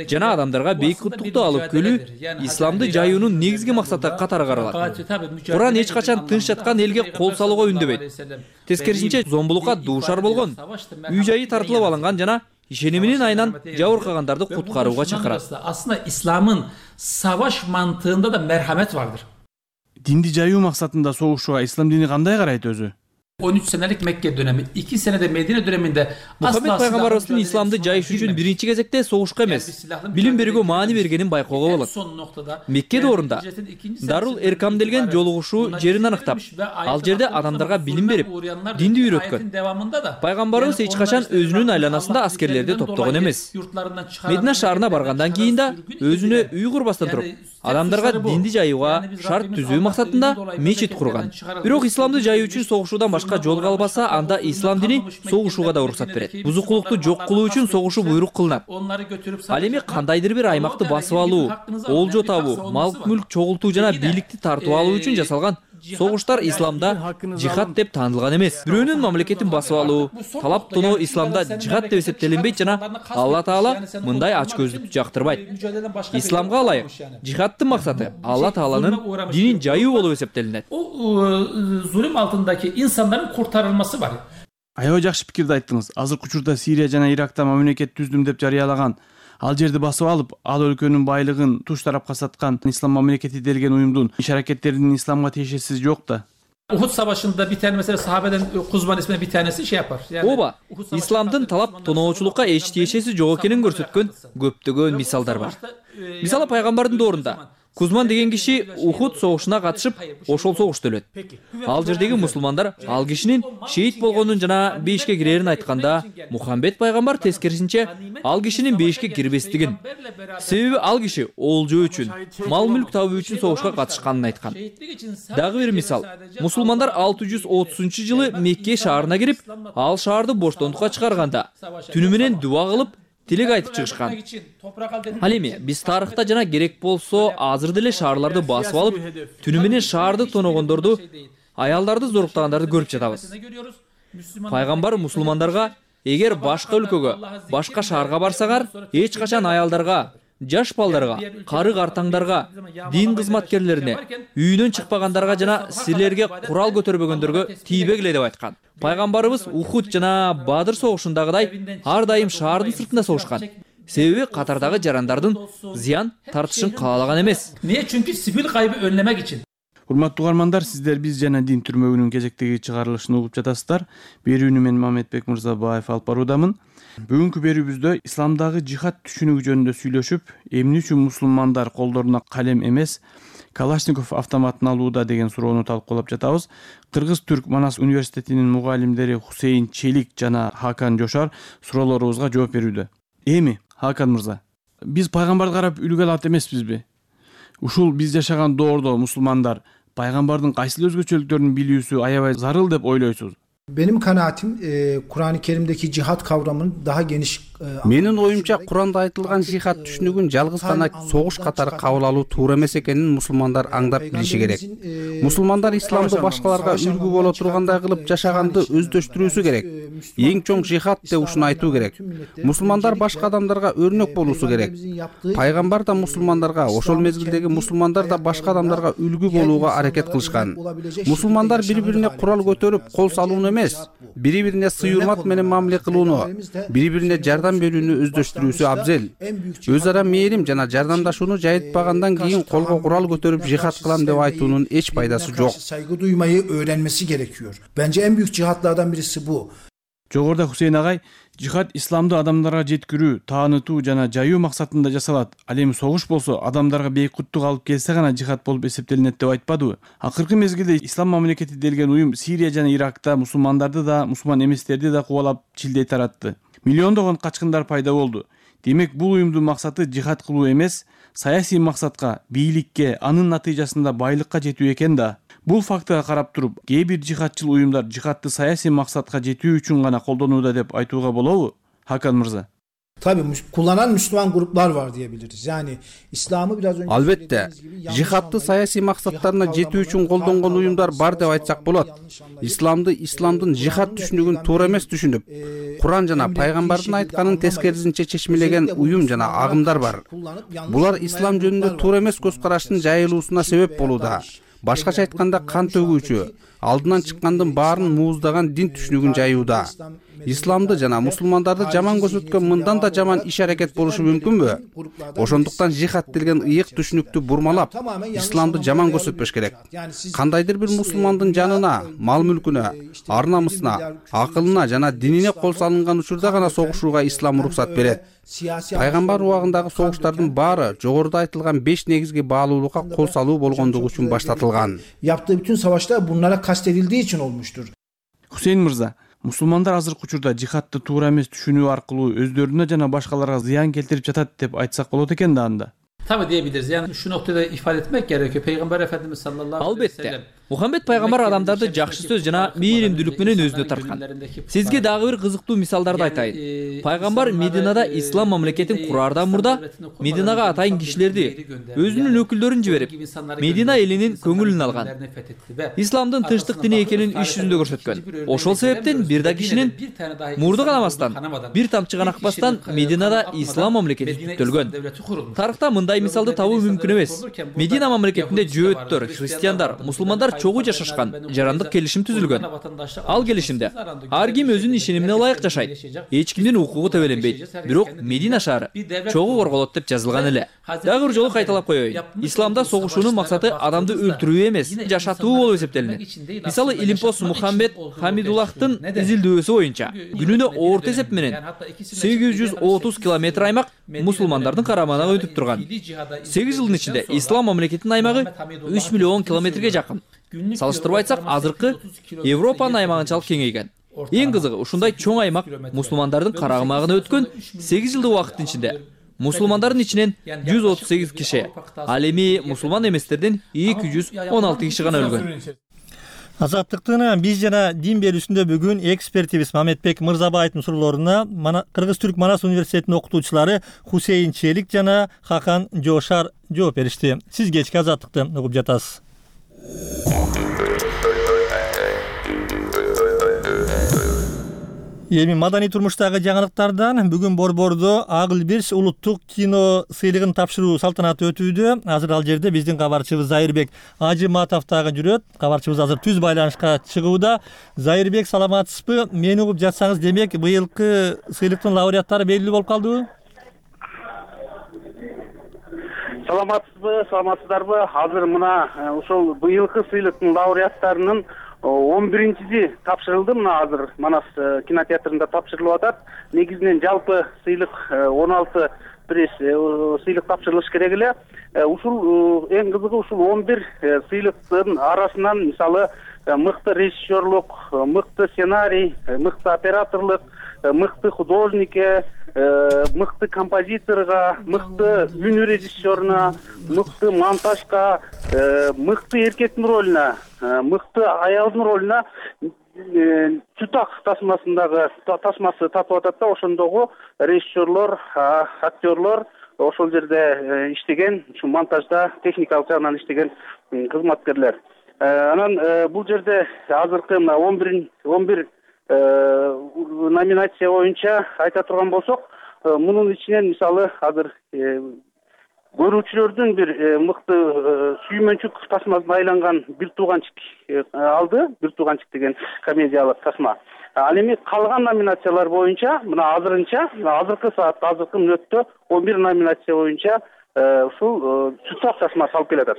Жана адамдарга бейик куттукту алып келүү исламды жайуунун негизги максаты катары каралат. Куран эч качан тынч жаткан элге кол салууга үндөбөйт. Тескерисинче зомбулукка дуушар болгон, үй жайы тартылып алынган жана ишениминин айынан жабыркагандарды куткарууга чакырат. Aslında İslam'ın savaş mantığında da merhamet vardır. Динди жайуу максатында согушууга ислам дини кандай карайт өзү? on üç senelik Mekke dönemi, iki senede Medine döneminde Muhammed Peygamberimizdin İslam'da cayış üçün birinci gezekte soğuşka emez. Bilim berүүгө maani bергенин байкоого болот. Мекке доорунда Дарул Эркам делген жолугушуу жерин аныктап, ал жерде адамдарга билим берип, динди үйрөткөн. Пайгамбарыбыз эч качан өзүнүн айланасында аскерлерди топтогон эмес. Медина шаарына баргандан кийин да өзүнө үй курбастан туруп, адамдарга динди жайууга шарт түзүү максатында мечит курган. Бирок исламды жайуу үчүн согушуудан согушка жолуга албаса, анда ислам дини согушууга да уруксат берет. Бузукулукту жок кылуу үчүн согушу буйрук кылынат. Ал эми кандайдыр бир аймакты басып алуу, олжо табуу, мал мүлк чогултуу жана бийликти тартып алуу үчүн жасалган согуштар исламда жихад деп таанылган эмес. Бирөөнүн мамлекетин басып алуу, талап тоноо исламда жихад деп эсептелинбейт жана Алла Таала мындай ачкөздүктү жактырбайт. Исламга ылайык жихаддын максаты Алла Тааланын динин жайуу болуп эсептелинет. Zulüm altındaki insanların kurtarılması var. Аябай жакшы пикирди айттыңыз. Азыркы учурда Сирия жана Иракта мамлекет түздүм деп жарыялаган, ал жерди басып алып, ал өлкөнүн байлыгын туш тарапка саткан ислам мамлекети делген уюмдун иш аракеттеринин исламга тиешеси жок да. Uhud Savaşı'nda bir tane mesela sahabeden Kuzman isminde bir tanesi şey yapar. Yani, Oba, İslam'dın talap tonoочулукка эч тиешеси жок экенин көрсөткөн көптөгөн мисалдар бар. Мисалы пайгамбардын доорунда Кузман деген киши Ухуд согушуна катышып, ошол согушта өлөт. Ал жердеги мусулмандар ал кишинин шейит болгонун жана бейишке кирерин айтканда, Мухаммед пайгамбар тескерисинче ал кишинин бейишке кирбестигин, себеби ал киши олжо үчүн, мал мүлк табуу үчүн согушка катышканын айткан. Дагы бир мисал, мусулмандар алты жүз отузунчу жылы Мекке шаарына кирип, ал шаарды боштондукка чыгарганда, түнү менен дуа кылып, тилек айтып чыгышкан. Ал эми биз тарыхта жана керек болсо азыр деле шаарларды басып алып, түнү менен шаарды тоногондорду, аялдарды зоруктагандарды көрүп жатабыз. Пайгамбар мусулмандарга эгер башка өлкөгө, башка шаарга барсаңар, эч качан аялдарга, жаш балдарга, кары картаңдарга, дин кызматкерлерине, үйүнөн чыкпагандарга жана силерге курал көтөрбөгөндөргө тийбегиле деп айткан. Пайгамбарыбыз Ухуд жана Бадыр согушундагыдай ар дайым шаардын сыртында согушкан. Себеби катардагы жарандардын зыян тартышын каалаган эмес. Niye? Çünkü sivil kaybı önlemek için. Урматтуу угармандар, сиздер биз жана дин түрмөгүнүн кезектеги чыгарылышын угуп жатасыздар. Берүүнү мен Мамедбек Мырзабаев алып баруудамын. Бүгүнкү берүүбүздө исламдагы жихад түшүнүгү жөнүндө сүйлөшүп, эмне үчүн мусулмандар колдоруна калем эмес, Калашников автоматын алууда деген суроону талкуулап жатабыз. Кыргыз-Түрк Манас университетинин мугалимдери Хусейин Челик жана Хакан Жошар суроолорубузга жооп берүүдө. Эми, Хакан мырза, биз пайгамбарды карап үлгү алат эмеспизби? Ушул биз жашаган доордо мусулмандар пайгамбардын кайсыл өзгөчөлүктөрүн билүүсү аябай зарыл деп ойлойсуз? Benim kanaatim e, Kur'an-ı Kerim'deki cihat kavramının daha geniş e, Менин оюмча Куранда айтылган жихад түшүнүгүн жалгыз гана согуш катары кабыл алуу туура эмес экенин мусулмандар аңдап билиши керек. Мусулмандар исламды башкаларга үлгү боло тургандай кылып жашаганды өздөштүрүүсү керек. Эң чоң жихад деп ушуну айтуу керек. Мусулмандар башка адамдарга өрнөк болуусу керек. Пайгамбар да мусулмандарга, ошол мезгилдеги мусулмандар да башка адамдарга үлгү болууга аракет кылышкан. Мусулмандар бири-бирине курал көтөрүп кол салууну эмес, бири-бирине сый-урмат менен мамиле кылууну, бири-бирине жардам берүүнү өздөштүрүүсү абзел. Өз ара мээрим жана жардамдашууну жайытпагандан кийин колго курал көтөрүп жихад кылам деп айтуунун эч пайдасы жок. Saygı duymayı öğrenmesi gerekiyor. Bence en büyük cihatlardan birisi bu. Жогоруда Хусейн агай, жихад исламды адамдарга жеткирүү, таанытуу жана жайуу максатында жасалат. Ал эми согуш болсо адамдарга бейкуттук алып келсе гана жихад болуп эсептелинет деп айтпадыбы? Акыркы мезгилде ислам мамлекети делген уюм Сирия жана Иракта мусулмандарды да, мусулман эместерди да кубалап чилдей таратты. Миллиондогон качкындар пайда болду. Демек бул уюмдун максаты жихад кылуу эмес, саясий максатка, бийликке, анын натыйжасында байлыкка жетүү экен да. Бул фактыга карап туруп, кээ бир жихадчыл уюмдар жихадты саясий максатка жетүү үчүн гана колдонууда деп айтууга болобу? Хакан мырза. Tabii kullanan Müslüman gruplar var diyebiliriz. Yani İslam'ı biraz önce Albatta, jihadты саясий максаттарына жетүү үчүн колдонгон уюмдар бар деп айтсак болот. Исламды, исламдын жихад түшүнүгүн туура эмес түшүнүп, Куран жана пайгамбардын айтканын тескерисинче чечмелеген уюм жана агымдар бар. Булар ислам жөнүндө туура эмес көз караштын жайылуусуна себеп болууда. Башкача айтканда кан төгүүчү, алдынан чыккандын баарын мууздаган дин түшүнүгүн жайууда. Исламды жана мусулмандарды жаман көрсөткөн мындан да жаман иш аракет болушу мүмкүнбү? Ошондуктан жихад делген ыйык түшүнүктү бурмалап, исламды жаман көрсөтпөш керек. Кандайдыр бир мусулмандын жанына, мал мүлкүнө, ар намысына, акылына жана динине кол салынган учурда гана согушууга ислам уруксат берет. Пайгамбар убагындагы согуштардын баары жогоруда айтылган беш негизги баалуулукка кол салуу болгондугу үчүн баштатылган. Yaptığı bütün savaşlar bunlara kastedildiği için olmuştur. Хусейн мырза, мусулмандар азыркы учурда жихадты туура эмес түшүнүү аркылуу өздөрүнө жана башкаларга зыян келтирип жатат деп айтсак болот экен да анда. Tabii diyebiliriz. Yani şu noktada ifade etmek gerekiyor. Peygamber Efendimiz sallallahu aleyhi ve sellem Мухаммед пайгамбар адамдарды жакшы сөз жана мээримдүүлүк менен өзүнө тарткан. Сизге дагы бир кызыктуу мисалдарды айтайын. Пайгамбар Мединада ислам мамлекетин кураардан мурда Мединага атайын кишилерди, өзүнүн өкүлдөрүн жиберип, Медина элинин көңүлүн алган. Исламдын тынчтык дини экенин иш жүзүндө көрсөткөн. Ошол себептен бир да кишинин мурду канамастан, бир тамчы гана акпастан Мединада ислам мамлекети түптөлгөн. Тарыхта мындай мисалды табуу мүмкүн эмес. Медина мамлекетинде жөөттөр, христиандар, мусулмандар чогуу жашашкан, жарандык келишим түзүлгөн. Ал келишимде ар ким өзүнүн ишенимине ылайык жашайт. Эч кимдин укугу тебеленбейт. Бирок Медина шаары чогуу корголот деп жазылган эле. Дагы бир жолу кайталап коеюн. Исламда согушуунун максаты адамды өлтүрүү эмес, жашатуу болуп эсептелинет. Мисалы, Илимпос Мухаммед Хамидуллахтын изилдөөсү боюнча күнүнө орто эсеп менен сегиз жүз отуз километр аймак мусулмандардын карамагына өтүп турган. сегиз жылдын ичинде ислам мамлекетинин аймагы үч миллион километрге жакын. Салыштырып айтсак, азыркы Европанын аймагынчалык кеңейген. Эң кызыгы, ушундай чоң аймак мусулмандардын карамагына өткөн сегиз жылдык убакыттын ичинде мусулмандардын ичинен жүз отуз сегиз киши, ал эми мусулман эместерден эки жүз он алты киши гана өлгөн. Азаттыктын биз жана дин берүүсүндө бүгүн экспертибиз Мамедбек Мырзабаевдин суроолоруна Кыргыз Түрк Манас университетинин окутуучулары Хусейин Челик жана Хакан Жошар жооп беришти. Сиз кечки азаттыкты угуп жатасыз. Эми маданий турмуштагы жаңылыктардан бүгүн Борбордо Агыл Бирс улуттук кино сыйлыгын тапшыруу салтанаты өтүүдө. Азыр ал жерде биздин кабарчыбыз Зайырбек Ажыматов дагы жүрөт. Кабарчыбыз азыр түз байланышка чыгууда. Зайырбек, саламатсызбы? Мени угуп жатсаңыз, демек быйылкы сыйлыктын лауреаттары белгилүү болуп калдыбы? Саламатсызбы, саламатсыздарбы? Азыр мына ошол быйылкы сыйлыктын лауреаттарынын он биринчиси тапшырылды. Мына азыр Манас кинотеатрында тапшырылып атат. Негизинен жалпы сыйлык он алты пресс сыйлык тапшырылыш керек эле. Ушул эң кызыгы ушул он бир сыйлыктын арасынан мисалы мыкты режиссерлук, мыкты сценарий, мыкты операторлук, мыкты художнике, мыкты композиторго, мыкты үн режиссеруна, мыкты монтажга, мыкты эркектин ролуна, мыкты аялдын ролуна чутак тасмасындагы тасмасы татып атат да. Ошондогу режиссерлор, актерлор, ошол жерде иштеген, ушу монтажда техникалык жагынан иштеген кызматкерлер. Анан бул жерде азыркы мына он бир номинация боюнча айта турган болсок, мунун ичинен мисалы азыр көрүүчүлөрдүн бир мыкты сүймөнчүк тасмасына айланган Бир тууганчик алды. Бир тууганчик деген комедиялык тасма. Ал эми калган номинациялар боюнча мына азырынча, азыркы саатта, азыркы мүнөттө он бир номинация боюнча ушул чутак тасма салып келатат.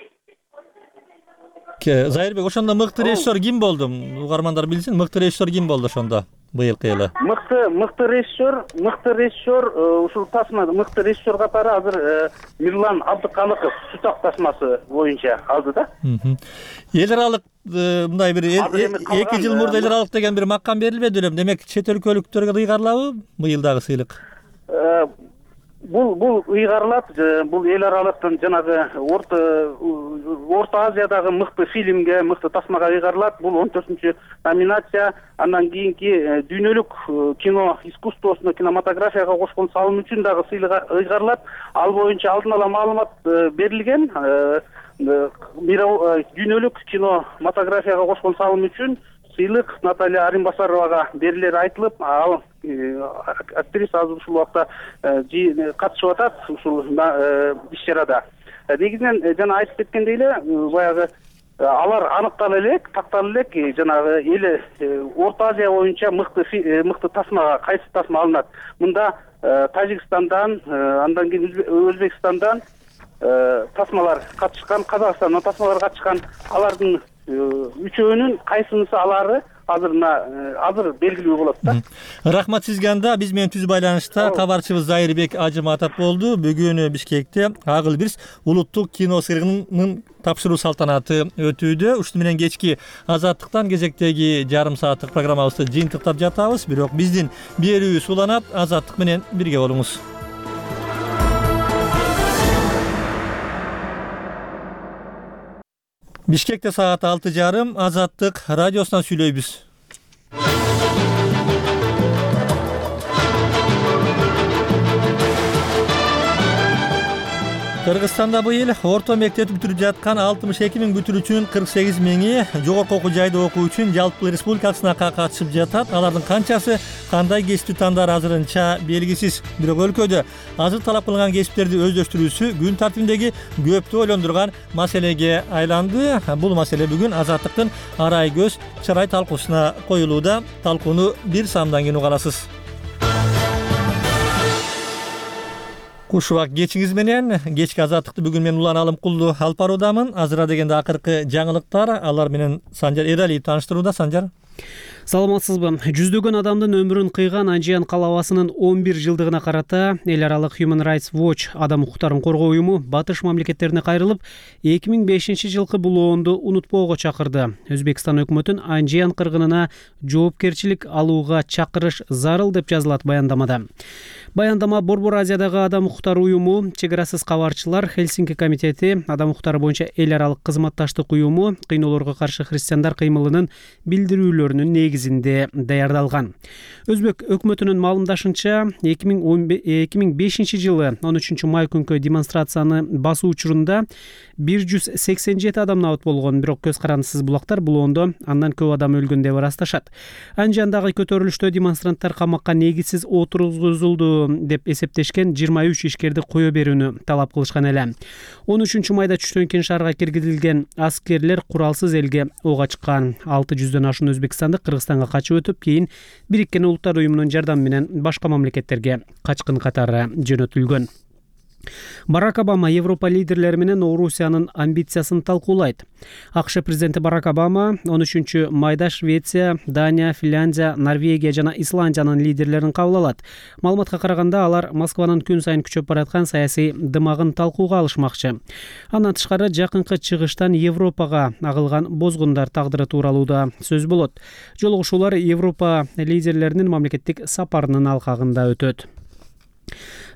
Зайырбек, ошондо мыкты режиссер ким болду? Угармандар билсин, мыкты режиссер ким болду ошондо быйылкы эле? Мыкты мыкты режиссер, мыкты режиссер ушул тасма мыкты режиссер катары азыр Мирлан Абдыкалыков чутак тасмасы боюнча алды да. Эл аралык мындай бир эки жыл мурда эл аралык деген бир макам берилбеди эле. Демек чет өлкөлүктөргө ыйгарылабы быйылдагы сыйлык? Бул бул ыйгарылат. Бул эл аралыктын жанагы орто Орто Азиядагы мыкты фильмге, мыкты тасмага ыйгарылат. Бул он төртүнчү номинация. Андан кийинки дүйнөлүк кино искусствосуна, кинематографияга кошкон салым үчүн дагы сыйлык ыйгарылат. Ал боюнча алдын ала маалымат берилген. Дүйнөлүк кинематографияга кошкон салым үчүн сыйлык Наталья Аримбасаровага берилери айтылып, ал актриса азыр ушул убакта катышып атат ушул иш-чарада. Негизинен жана айтып кеткендей эле, баягы алар аныктала элек, тактала элек, жанагы эл Орто Азия боюнча мыкты мыкты тасмага кайсы тасма алынат. Мында Тажикстандан, андан кийин Өзбекстандан тасмалар катышкан, Казакстандан тасмалар катышкан. Алардын үчөөнүн кайсынысы алары азырына азыр белгилүү болот да. Рахмат сизге. Анда биз менен түз байланышта кабарчыбыз Зайырбек Ажыматов болду. Бүгүн Бишкекте Агыл Бирс улуттук кино сыйлыгынын тапшыруу салтанаты өтүүдө. Ушуну менен кечки азаттыктан кезектеги жарым сааттык программабызды жыйынтыктап жатабыз. Бирок биздин берүүбүз уланат. Азаттык менен бирге болуңуз. Бишкекте саат алты жарым. Азаттык радиосунан сүйлөйбүз. Кыргызстанда быйыл орто мектеп бүтүрүп жаткан алтымыш эки миң бүтүрүүчүнүн кырк сегиз миңи жогорку окуу жайда окуу үчүн жалпы республикалык сынакка катышып жатат. Алардын канчасы кандай кесипти тандар азырынча белгисиз. Бирок өлкөдө азыр талап кылынган кесиптерди өздөштүрүүсү күн тартибиндеги көптү ойлондурган маселеге айланды. Бул маселе бүгүн Азаттыктын арай көз чырай талкуусуна коюлууда. Талкууну бир самдан кийин угаласыз. Кушубак кечиңиз менен кечки Азаттыкты бүгүн мен Улан Алымкулду алып баруудамын. Азыра дегенде акыркы жаңылыктар, алар менен Санжар Эралиев тааныштырууда. Санжар. Саламатсызбы? Жүздөгөн адамдын өмүрүн кыйган Анжиян калабасынын он бир жылдыгына карата эл аралык Human Rights Watch адам укуктарын коргоо уюму батыш мамлекеттерине кайрылып, эки миң бешинчи жылкы булоонду унутпоого чакырды. Өзбекстан өкмөтүн Анжиян кыргынына жоопкерчилик алууга чакырыш зарыл деп жазылат баяндамада. Баяндама Борбор Азиядагы адам укуктары уюму, Чек арасыз кабарчылар, Хельсинки комитети, адам укуктары боюнча эл аралык кызматташтык уюму, кыйноолорго каршы христиандар кыймылынын билдирүүлөрүнүн негизинде даярдалган. Өзбек өкмөтүнүн маалымдашынча, эки миң бешинчи жылы он үчүнчү май күнкү демонстрацияны басуу учурунда бир жүз сексен жети адам набыт болгон, бирок көз карандысыз булактар булоондо андан көп адам өлгөн деп ырасташат. Анжияндагы көтөрүлүштө демонстранттар камакка негизсиз отургузулду деп эсептешкен жыйырма үч ишкерди кое берүүнү талап кылышкан эле. он үчүнчү майда түштөн кийин шаарга киргизилген аскерлер куралсыз элге ок ачкан. алты жүздөн ашуун өзбекстандык Кыргызстанга качып өтүп, кийин Бириккен Улуттар уюмунун жардамы менен башка мамлекеттерге качкын катары жөнөтүлгөн. Барак Обама Европа лидерлери менен Орусиянын амбициясын талкуулайт. АКШ президенти Барак Обама он үчүнчү майда Швеция, Дания, Финляндия, Норвегия жана Исландиянын лидерлерин кабыл алат. Маалыматка караганда, алар Москванын күн сайын күчөп бараткан саясий дымагын талкууга алышмакчы. Андан тышкары, жакынкы чыгыштан Европага агылган бозгундар тагдыры тууралуу да сөз болот. Жолугушуулар Европа лидерлеринин мамлекеттик сапарынын алкагында өтөт.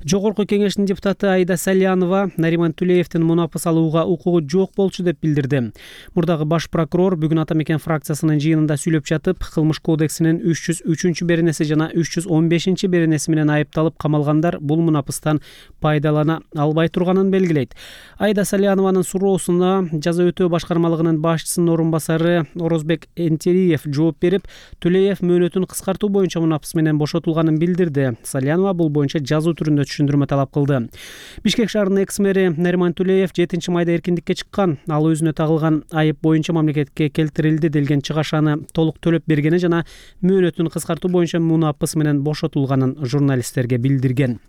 Жогорку кеңештин депутаты Айда Салянова Нариман Тулеевдин мунапыс алууга укугу жок болчу деп билдирди. Мурдагы баш прокурор бүгүн Ата Мекен фракциясынын жыйынында сүйлөп жатып, кылмыш кодексинин үч жүз үчүнчү беренеси жана үч жүз он бешинчи беренеси менен айыпталып камалгандар бул мунапыстан пайдалана албай турганын белгилейт. Айда Салянованын суроосуна жаза өтөө башкармалыгынын башчысынын орун басары Орозбек Энтериев жооп берип, Тулеев мөөнөтүн кыскартуу боюнча мунапыс менен бошотулганын билдирди. Салянова бул боюнча жазуу түрүндө түшүндүрмө талап кылды. Бишкек шаарынын экс-мэри Нариман Тулеев жетинчи майда эркиндикке чыккан. Ал өзүнө тагылган айып боюнча мамлекетке келтирилди делген чыгашаны толук төлөп бергени жана мөөнөтүн кыскартуу боюнча мунапыс менен бошотулганын журналисттерге билдирген.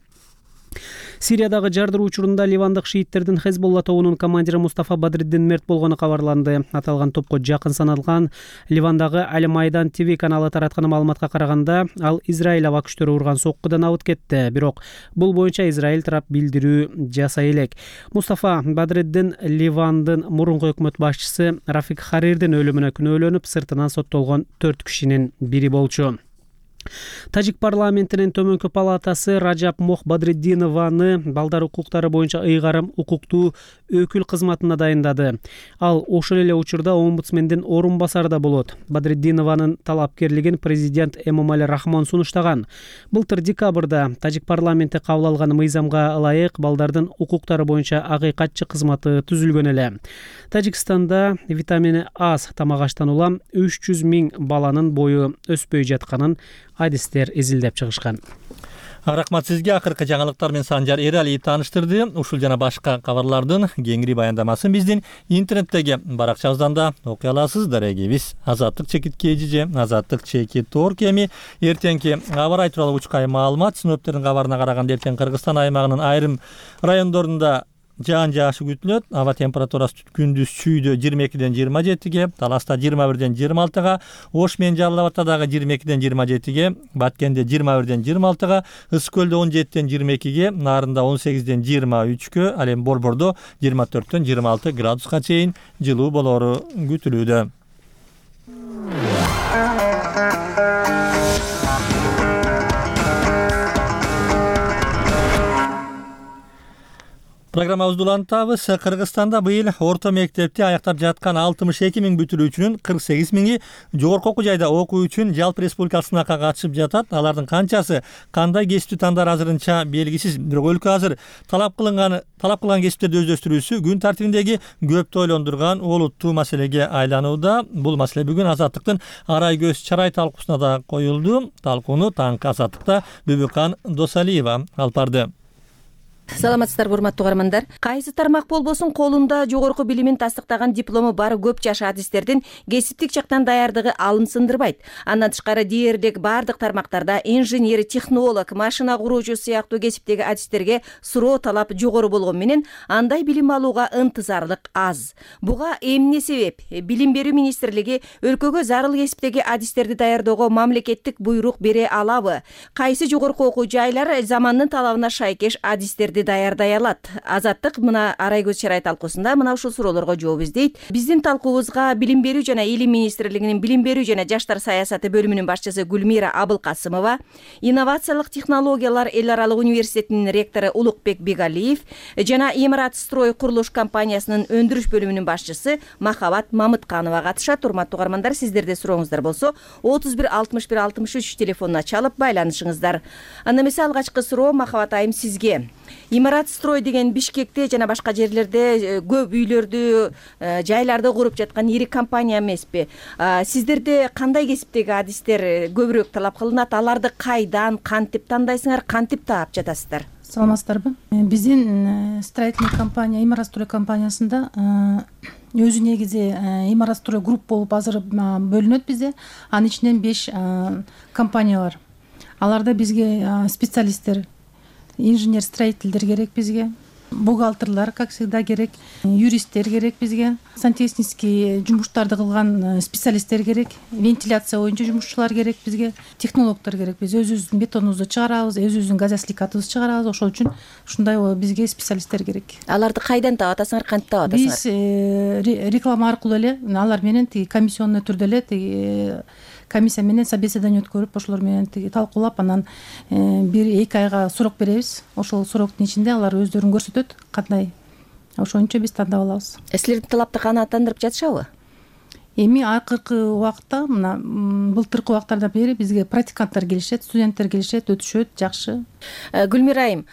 Сириядагы жардыруу учурунда ливандык шииттердин Хезболла тобунун командири Мустафа Бадриддин мерт болгону кабарланды. Аталган топко жакын саналган Ливандагы Аль-Майдан ТВ каналы тараткан маалыматка караганда, ал Израиль аба күчтөрү урган соккудан абыт кетти. Бирок бул боюнча Израиль тарап билдирүү жасай элек. Мустафа Бадриддин Ливандын мурунку өкмөт башчысы Рафик Харирдин өлүмүнө күнөөлөнүп, сыртынан соттолгон төрт кишинин бири болчу. Тажик парламентинин төмөнкү палатасы Раджаб Мох Бадриддинованы балдар укуктары боюнча ыйгарым укуктуу өкүл кызматына дайындады. Ал ошол эле учурда омбудсмендин орун басары да болот. Бадриддинованын талапкерлигин президент Эмомали Рахмон сунуштаган. Былтыр декабрда Тажик парламенти кабыл алган мыйзамга ылайык балдардын укуктары боюнча акыйкатчы кызматы түзүлгөн эле. Тажикстанда витамини аз тамак аштан улам үч жүз миң баланын бою өспөй жатканын адистер изилдеп чыгышкан. Рахмат сизге. Акыркы жаңылыктар менен Санжар Эралиев тааныштырды. Ушул жана башка кабарлардын кеңири баяндамасын биздин интернеттеги баракчабыздан да окуй аласыз. Дарегибиз Азаттык чекит кежиже, Азаттык чекит орг эми эртеңки аба ырайы тууралуу учкай маалымат. Синоптиктердин кабарына караганда эртең Кыргызстан аймагынын айрым райондорунда жаан жаашы күтүлөт. Аба температурасы күндүз Чүйдө жыйырма экиден жыйырма жетиге, Таласта жыйырма бирден жыйырма алтыга, Ош менен Жалал Абадта дагы жыйырма экиден жыйырма жетиге, Баткенде жыйырма бирден жыйырма алтыга, Ысык Көлдө он жетиден жыйырма экиге, Нарында он сегизден жыйырма үчкө, ал эми Борбордо жыйырма төрттөн жыйырма алты градуска чейин жылуу болору күтүлүүдө. Программабызды улантабыз. Кыргызстанда быйыл орто мектепти аяктап жаткан алтымыш эки миң бүтүрүүчүнүн кырк сегиз миңи жогорку окуу жайда окуу үчүн жалпы республикалык сынакка катышып жатат. Алардын канчасы кандай кесипти тандар азырынча белгисиз. Бирок өлкө азыр талап кылынган талап кылган кесиптерди өздөштүрүүсү күн тартибиндеги көптү ойлондурган олуттуу маселеге айланууда. Бул маселе бүгүн Азаттыктын Арай көз чарай талкуусуна да коюлду. Талкууну таңкы Азаттыкта Бүбүкан Досалиева алып барды. Саламатсыздарбы, урматтуу угармандар. Кайсы тармак болбосун колунда жогорку билимин тастыктаган диплому бар көп жаш адистердин кесиптик жактан даярдыгы алым сындырбайт. Андан тышкары дээрлик бардык тармактарда инженер, технолог, машина куруучу сыяктуу кесиптеги адистерге суроо талап жогору болгон менен андай билим алууга ынтызарлык аз. Буга эмне себеп? Билим берүү министрлиги өлкөгө зарыл кесиптеги адистерди даярдоого мамлекеттик буйрук бере алабы? Кайсы жогорку окуу жайлар замандын талабына шайкеш адистерди даярдай алат? Азаттык мына Арай көз чарай талкуусунда мына ушул суроолорго жооп издейт. Биздин талкуубузга Билим берүү жана Илим министрлигинин Билим берүү жана жаштар саясаты бөлүмүнүн башчысы Гүлмира Абылкасымова, инновациялык технологиялар эл аралык университетинин ректору Улукбек Бегалиев жана Имарат строй курулуш компаниясынын өндүрүш бөлүмүнүн башчысы Махабат Мамытканова катышат. Урматтуу угармандар, сиздерде сурооңуздар болсо отуз бир алтымыш бир алтымыш үч телефонуна чалып байланышыңыздар. Анда эмесе алгачкы суроо Махабат айым сизге. Имарат строй деген Бишкекте жана башка жерлерде көп үйлөрдү, жайларды куруп жаткан ири компания эмеспи? Сиздерде кандай кесиптеги адистер көбүрөөк талап кылынат? Аларды кайдан, кантип тандайсыңар, кантип таап жатасыздар? Саламатсыздарбы? Биздин строительный компания, Имарат строй компаниясында өзү негизи Имарат строй групп болуп азыр бөлүнөт бизде. Анын ичинен беш компания бар. Аларда бизге специалисттер, инженер-строительдер керек бизге, бухгалтерлар, как всегда, керек, юристтер керек бизге, сантехнический жумуштарды кылган специалисттер керек, вентиляция боюнча жумушчулар керек бизге, технологдор керек. Биз өзүбүздүн бетонубузду чыгарабыз, өзүбүздүн газосликатыбызды чыгарабыз. Ошол үчүн ушундай бизге специалисттер керек. Аларды кайдан таап атасыңар, кантип таап атасыңар? Биз реклама аркылуу эле алар менен тиги комиссионный түрдө эле тиги комиссия менен собеседование өткөрүп, ошолор менен тиги талкуулап, анан бир эки айга срок беребиз. Ошол сроктун ичинде алар өздөрүн көрсөтөт кандай. Ошончо биз тандап алабыз. Силердин талапты канааттандырып жатышабы? Эми акыркы убакытта, мына былтыркы убактардан бери бизге практиканттар келишет, студенттер келишет, өтүшөт, жакшы. Гүлмира айым,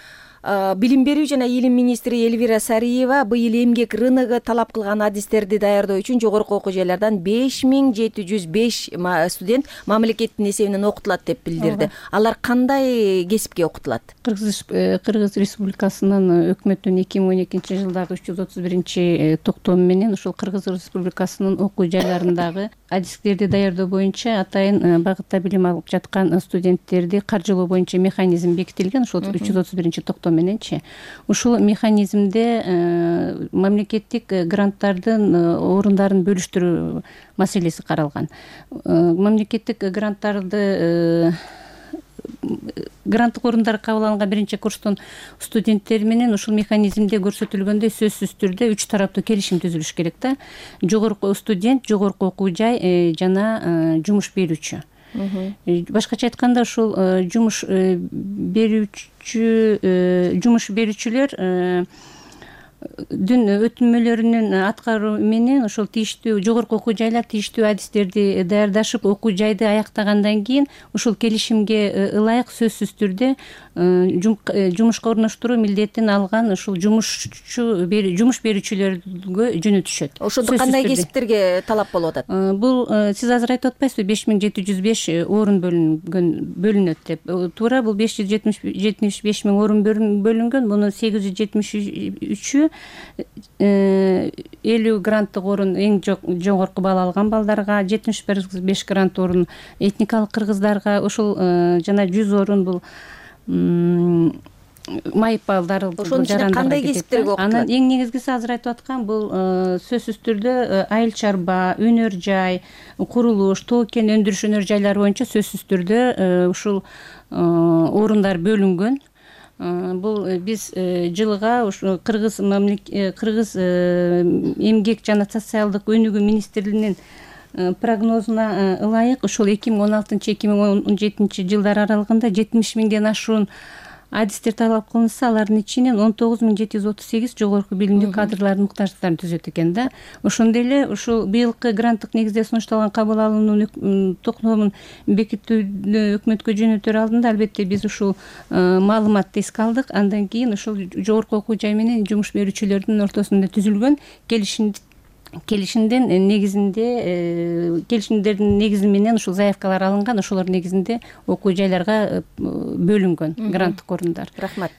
Билим берүү жана Илим министри Элвира Сариева быйыл эмгек рыногу талап кылган адистерди даярдоо үчүн жогорку окуу жайлардан беш миң жети жүз беш студент мамлекеттин эсебинен окутулат деп билдирди. Алар кандай кесипке окутулат? Кыргыз Республикасынын өкмөттүн эки миң он экинчи жылдагы үч жүз отуз биринчи токтому менен ушул Кыргыз Республикасынын окуу жайларындагы адистерди даярдоо боюнча атайын багытта билим алып жаткан студенттерди каржылоо боюнча механизм бекитилген. Ушул үч жүз отуз биринчи токтом мененчи ушул механизмде мамлекеттик гранттардын орундарын бөлүштүрүү маселеси каралган. Мамлекеттик гранттарды гранттык орундар кабыл алынган биринчи курстун студенттери менен ушул механизмде көрсөтүлгөндөй сөзсүз түрдө үч тараптуу келишим түзүлүш керек да. Жогорку студент, жогорку окуу жай жана жумуш берүүчү. Башкача айтканда ушул жумуш берүүчү жумуш берүүчүлөр дүн өтүнмөлөрүнүн аткаруу менен ошол тийиштүү жогорку окуу жайлар тийиштүү адистерди даярдашып окуу жайды аяктагандан кийин ушул келишимге ылайык сөзсүз түрдө жумушка орноштуруу милдетин алган ушул жумушчу жумуш берүүчүлөргө жөнөтүшөт. Ошондо кандай кесиптерге талап болуп атат? Бул сиз азыр айтып атпайсызбы, беш миң жети жүз беш орун бөлүнгөн бөлүнөт деп. Туура, бул беш жүз жетимиш беш миң орун бөлүнгөн. Мунун сегиз жүз жетимиш үчү элүү гранттык орун эң жогорку балл алган балдарга, жетимиш беш грант орун этникалык кыргыздарга, ошол жана жүз орун бул майып балдар. Ошонун ичинде кандай кесиптерге окутулат? Анан эң негизгиси азыр айтып аткан бул сөзсүз түрдө айыл чарба, өнөр жай, курулуш, тоо кен өндүрүш өнөр жайлары боюнча сөзсүз түрдө ушул орундар бөлүнгөн. Бул биз жылга ушу Кыргыз Кыргыз эмгек жана социалдык өнүгүү министрлигинин прогнозуна ылайык ушул эки миң он алтынчы эки миң он жетинчи жылдар аралыгында жетимиш миңден ашуун адистер талап кылынса, алардын ичинен он тогуз миң жети жүз отуз сегиз жогорку билимдүү кадрлардын муктаждыктарын түзөт экен да. Ошондой эле ушул быйылкы гранттык негизде сунушталган кабыл алуунун токтомун бекитүүнү өкмөткө жөнөтөр алдында албетте биз ушул маалыматты эске алдык. Андан кийин ушул жогорку окуу жай менен жумуш берүүчүлөрдүн ортосунда түзүлгөн келишим келишимдин негизинде келишимдердин негизи менен ушул заявкалар алынган, ошолордун негизинде окуу жайларга бөлүнгөн гранттык орундар. Рахмат.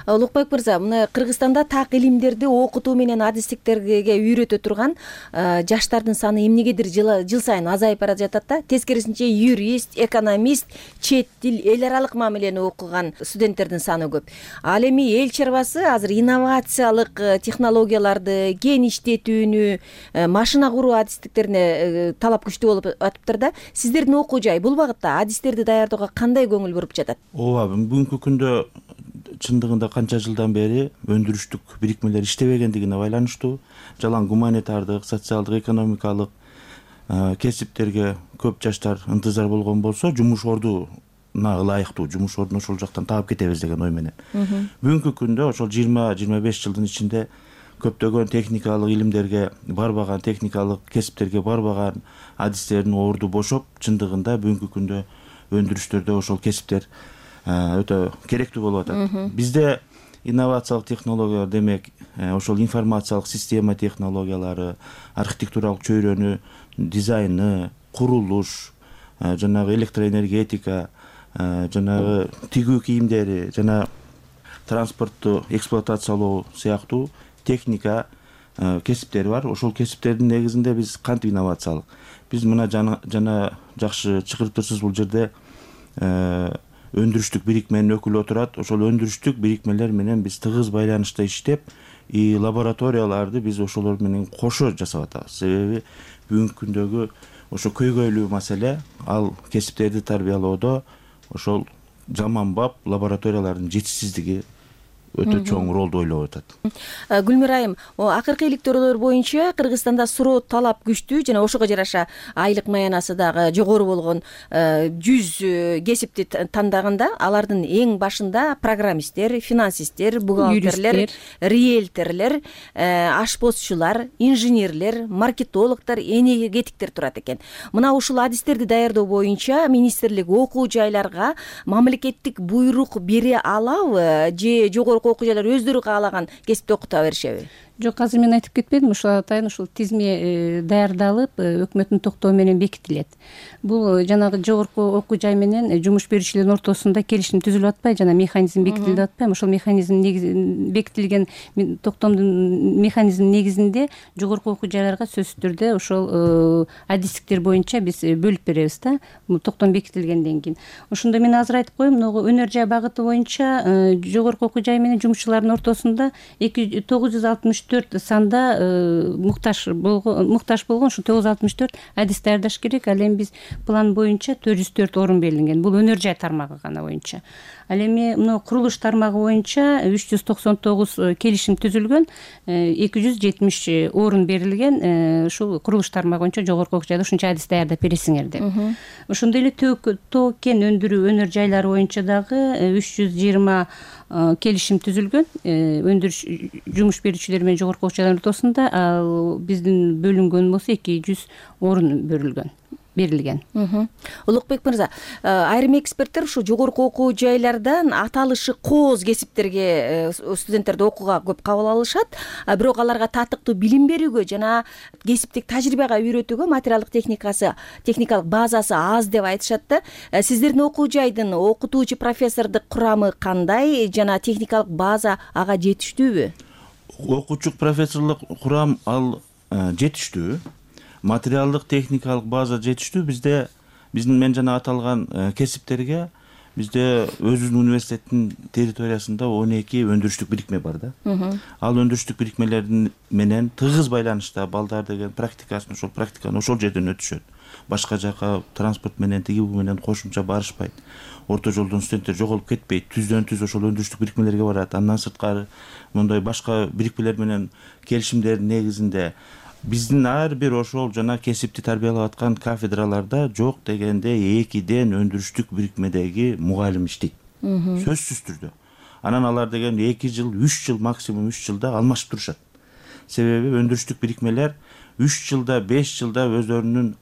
Улукбек мырза, мына Кыргызстанда так илимдерди окутуу менен адистиктерге үйрөтө турган жаштардын саны эмнегедир жыл сайын азайып бара жатат да. Тескерисинче юрист, экономист, чет тил, эл аралык мамилени окуган студенттердин саны көп. Ал эми эл чарбасы азыр инновациялык технологияларды, кен иштетүүнү, машина куруу адистиктерине талап күчтүү болуп атыптыр да. Сиздердин окуу жай бул багытта адистерди даярдоого кандай көңүл буруп жатат? Ооба, бүгүнкү күндө чындыгында канча жылдан бери өндүрүштүк бирикмелер иштебегендигине байланыштуу жалаң гуманитардык, социалдык, экономикалык кесиптерге көп жаштар ынтызар болгон болсо, жумуш ордуна ылайыктуу жумуш ордун ошол жактан таап кетебиз деген ой менен. Бүгүнкү күндө ошол жыйырма жыйырма беш жылдын ичинде көптөгөн техникалык илимдерге барбаган, техникалык кесиптерге барбаган адистердин орду бошоп, чындыгында бүгүнкү күндө өндүрүштөрдө ошол кесиптер өтө керектүү болуп атат. Бизде инновациялык технологиялар демек ошол информациялык система технологиялары, архитектуралык чөйрөнү, дизайны, курулуш, жанагы электроэнергетика, жанагы тигүү кийимдери жана транспортту эксплуатациялоо сыяктуу техника кесиптери бар. Ошол кесиптердин негизинде биз кантип инновациялык. Биз мына жана жакшы чыгарып турсуз, бул жерде өндүрүштүк бирикменин өкүлү отурат. Ошол өндүрүштүк бирикмелер менен биз тыгыз байланышта иштеп, и лабораторияларды биз ошолор менен кошо жасап атабыз. Себеби бүгүнкү күндөгү ошо көйгөйлүү маселе ал кесиптерди тарбиялоодо ошол заманбап лабораториялардын жетишсиздиги өтө чоң ролду ойлоп атат. Гүлмир айым, акыркы иликтөөлөр боюнча Кыргызстанда суроо талап күчтүү жана ошого жараша айлык маянасы дагы жогору болгон жүз кесипти тандаганда алардын эң башында программисттер, финансисттер, бухгалтерлер, риэлторлор, ашпозчулар, инженерлер, маркетологдор, энергетиктер турат экен. Мына ушул адистерди даярдоо боюнча министрлик окуу жайларга мамлекеттик буйрук бере алабы же жогору окуу жайлар өздөрү каалаган кесипти окута беришеби? Жок, азыр мен айтып кетпедим, ушул атайын ушул тизме даярдалып өкмөттүн токтоо менен бекитилет. Бул жанагы жогорку окуу жай менен жумуш берүүчүлөрдүн ортосунда келишим түзүлүп атпай, жана механизм бекитилип атпайбы? Ошол механизм бекитилген токтомдун механизминин негизинде жогорку окуу жайларга сөзсүз түрдө ошол адистиктер боюнча биз бөлүп беребиз да, токтом бекитилгенден кийин. Ошондо мен азыр айтып коеюн, могу өнөр жай багыты боюнча жогорку окуу жай менен жумушчулардын ортосунда тогуз жүз алтымыш төрт санда муктаж болгон муктаж болгон ушу тогуз жүз алтымыш төрт адис даярдаш керек. Ал эми биз план боюнча төрт жүз төрт орун берилген. Бул өнөр жай тармагы гана боюнча. Ал эми мына курулуш тармагы боюнча үч жүз токсон тогуз келишим түзүлгөн, эки жүз жетимиш орун берилген. Ушул курулуш тармагы боюнча жогорку окуу жайда ушунча адис даярдап бересиңер деп. Ошондой эле тоо кен өндүрүү өнөр жайлары боюнча дагы үч жүз жыйырма келишим түзүлгөн өндүрүш жумуш берүүчүлөр менен жогорку окуу жайлардын ортосунда. Ал биздин бөлүнгөн болсо эки жүз орун берилген. берилген. Улукбек мырза, айрым эксперттер ушу жогорку окуу жайлардан аталышы кооз кесиптерге студенттерди окууга көп кабыл алышат, бирок аларга татыктуу билим берүүгө жана кесиптик тажрыйбага үйрөтүүгө материалдык техникасы, техникалык базасы аз деп айтышат да. Сиздердин окуу жайдын окутуучу профессордук курамы кандай жана техникалык база ага жетиштүүбү? Окуучу профессорлук курам ал жетиштүү. Материалдык техникалык база жетиштүү. Бизде биздин мен жана аталган кесиптерге бизде өзүбүздүн университеттин территориясында он эки өндүрүштүк бирикме бар да. Ал өндүрүштүк бирикмелердин менен тыгыз байланышта балдар деген практикасын ошол практиканы ошол жерден өтүшөт. Башка жака транспорт менен тиги бу менен кошумча барышпайт. Орто жолдон студенттер жоголуп кетпейт. Түздөн түз ошол өндүрүштүк бирикмелерге барат. Андан сырткары мындай башка бирикмелер менен келишимдердин негизинде биздин ар бир ошол жана кесипти тарбиялап аткан кафедраларда жок дегенде экиден өндүрүштүк бирикмедеги мугалим иштейт. Сөзсүз түрдө. анан алар деген эки жыл үч жыл максимум үч жылда алмашып турушат. Себеби өндүрүштүк бирикмелер үч жылда беш жылда өздөрүнүн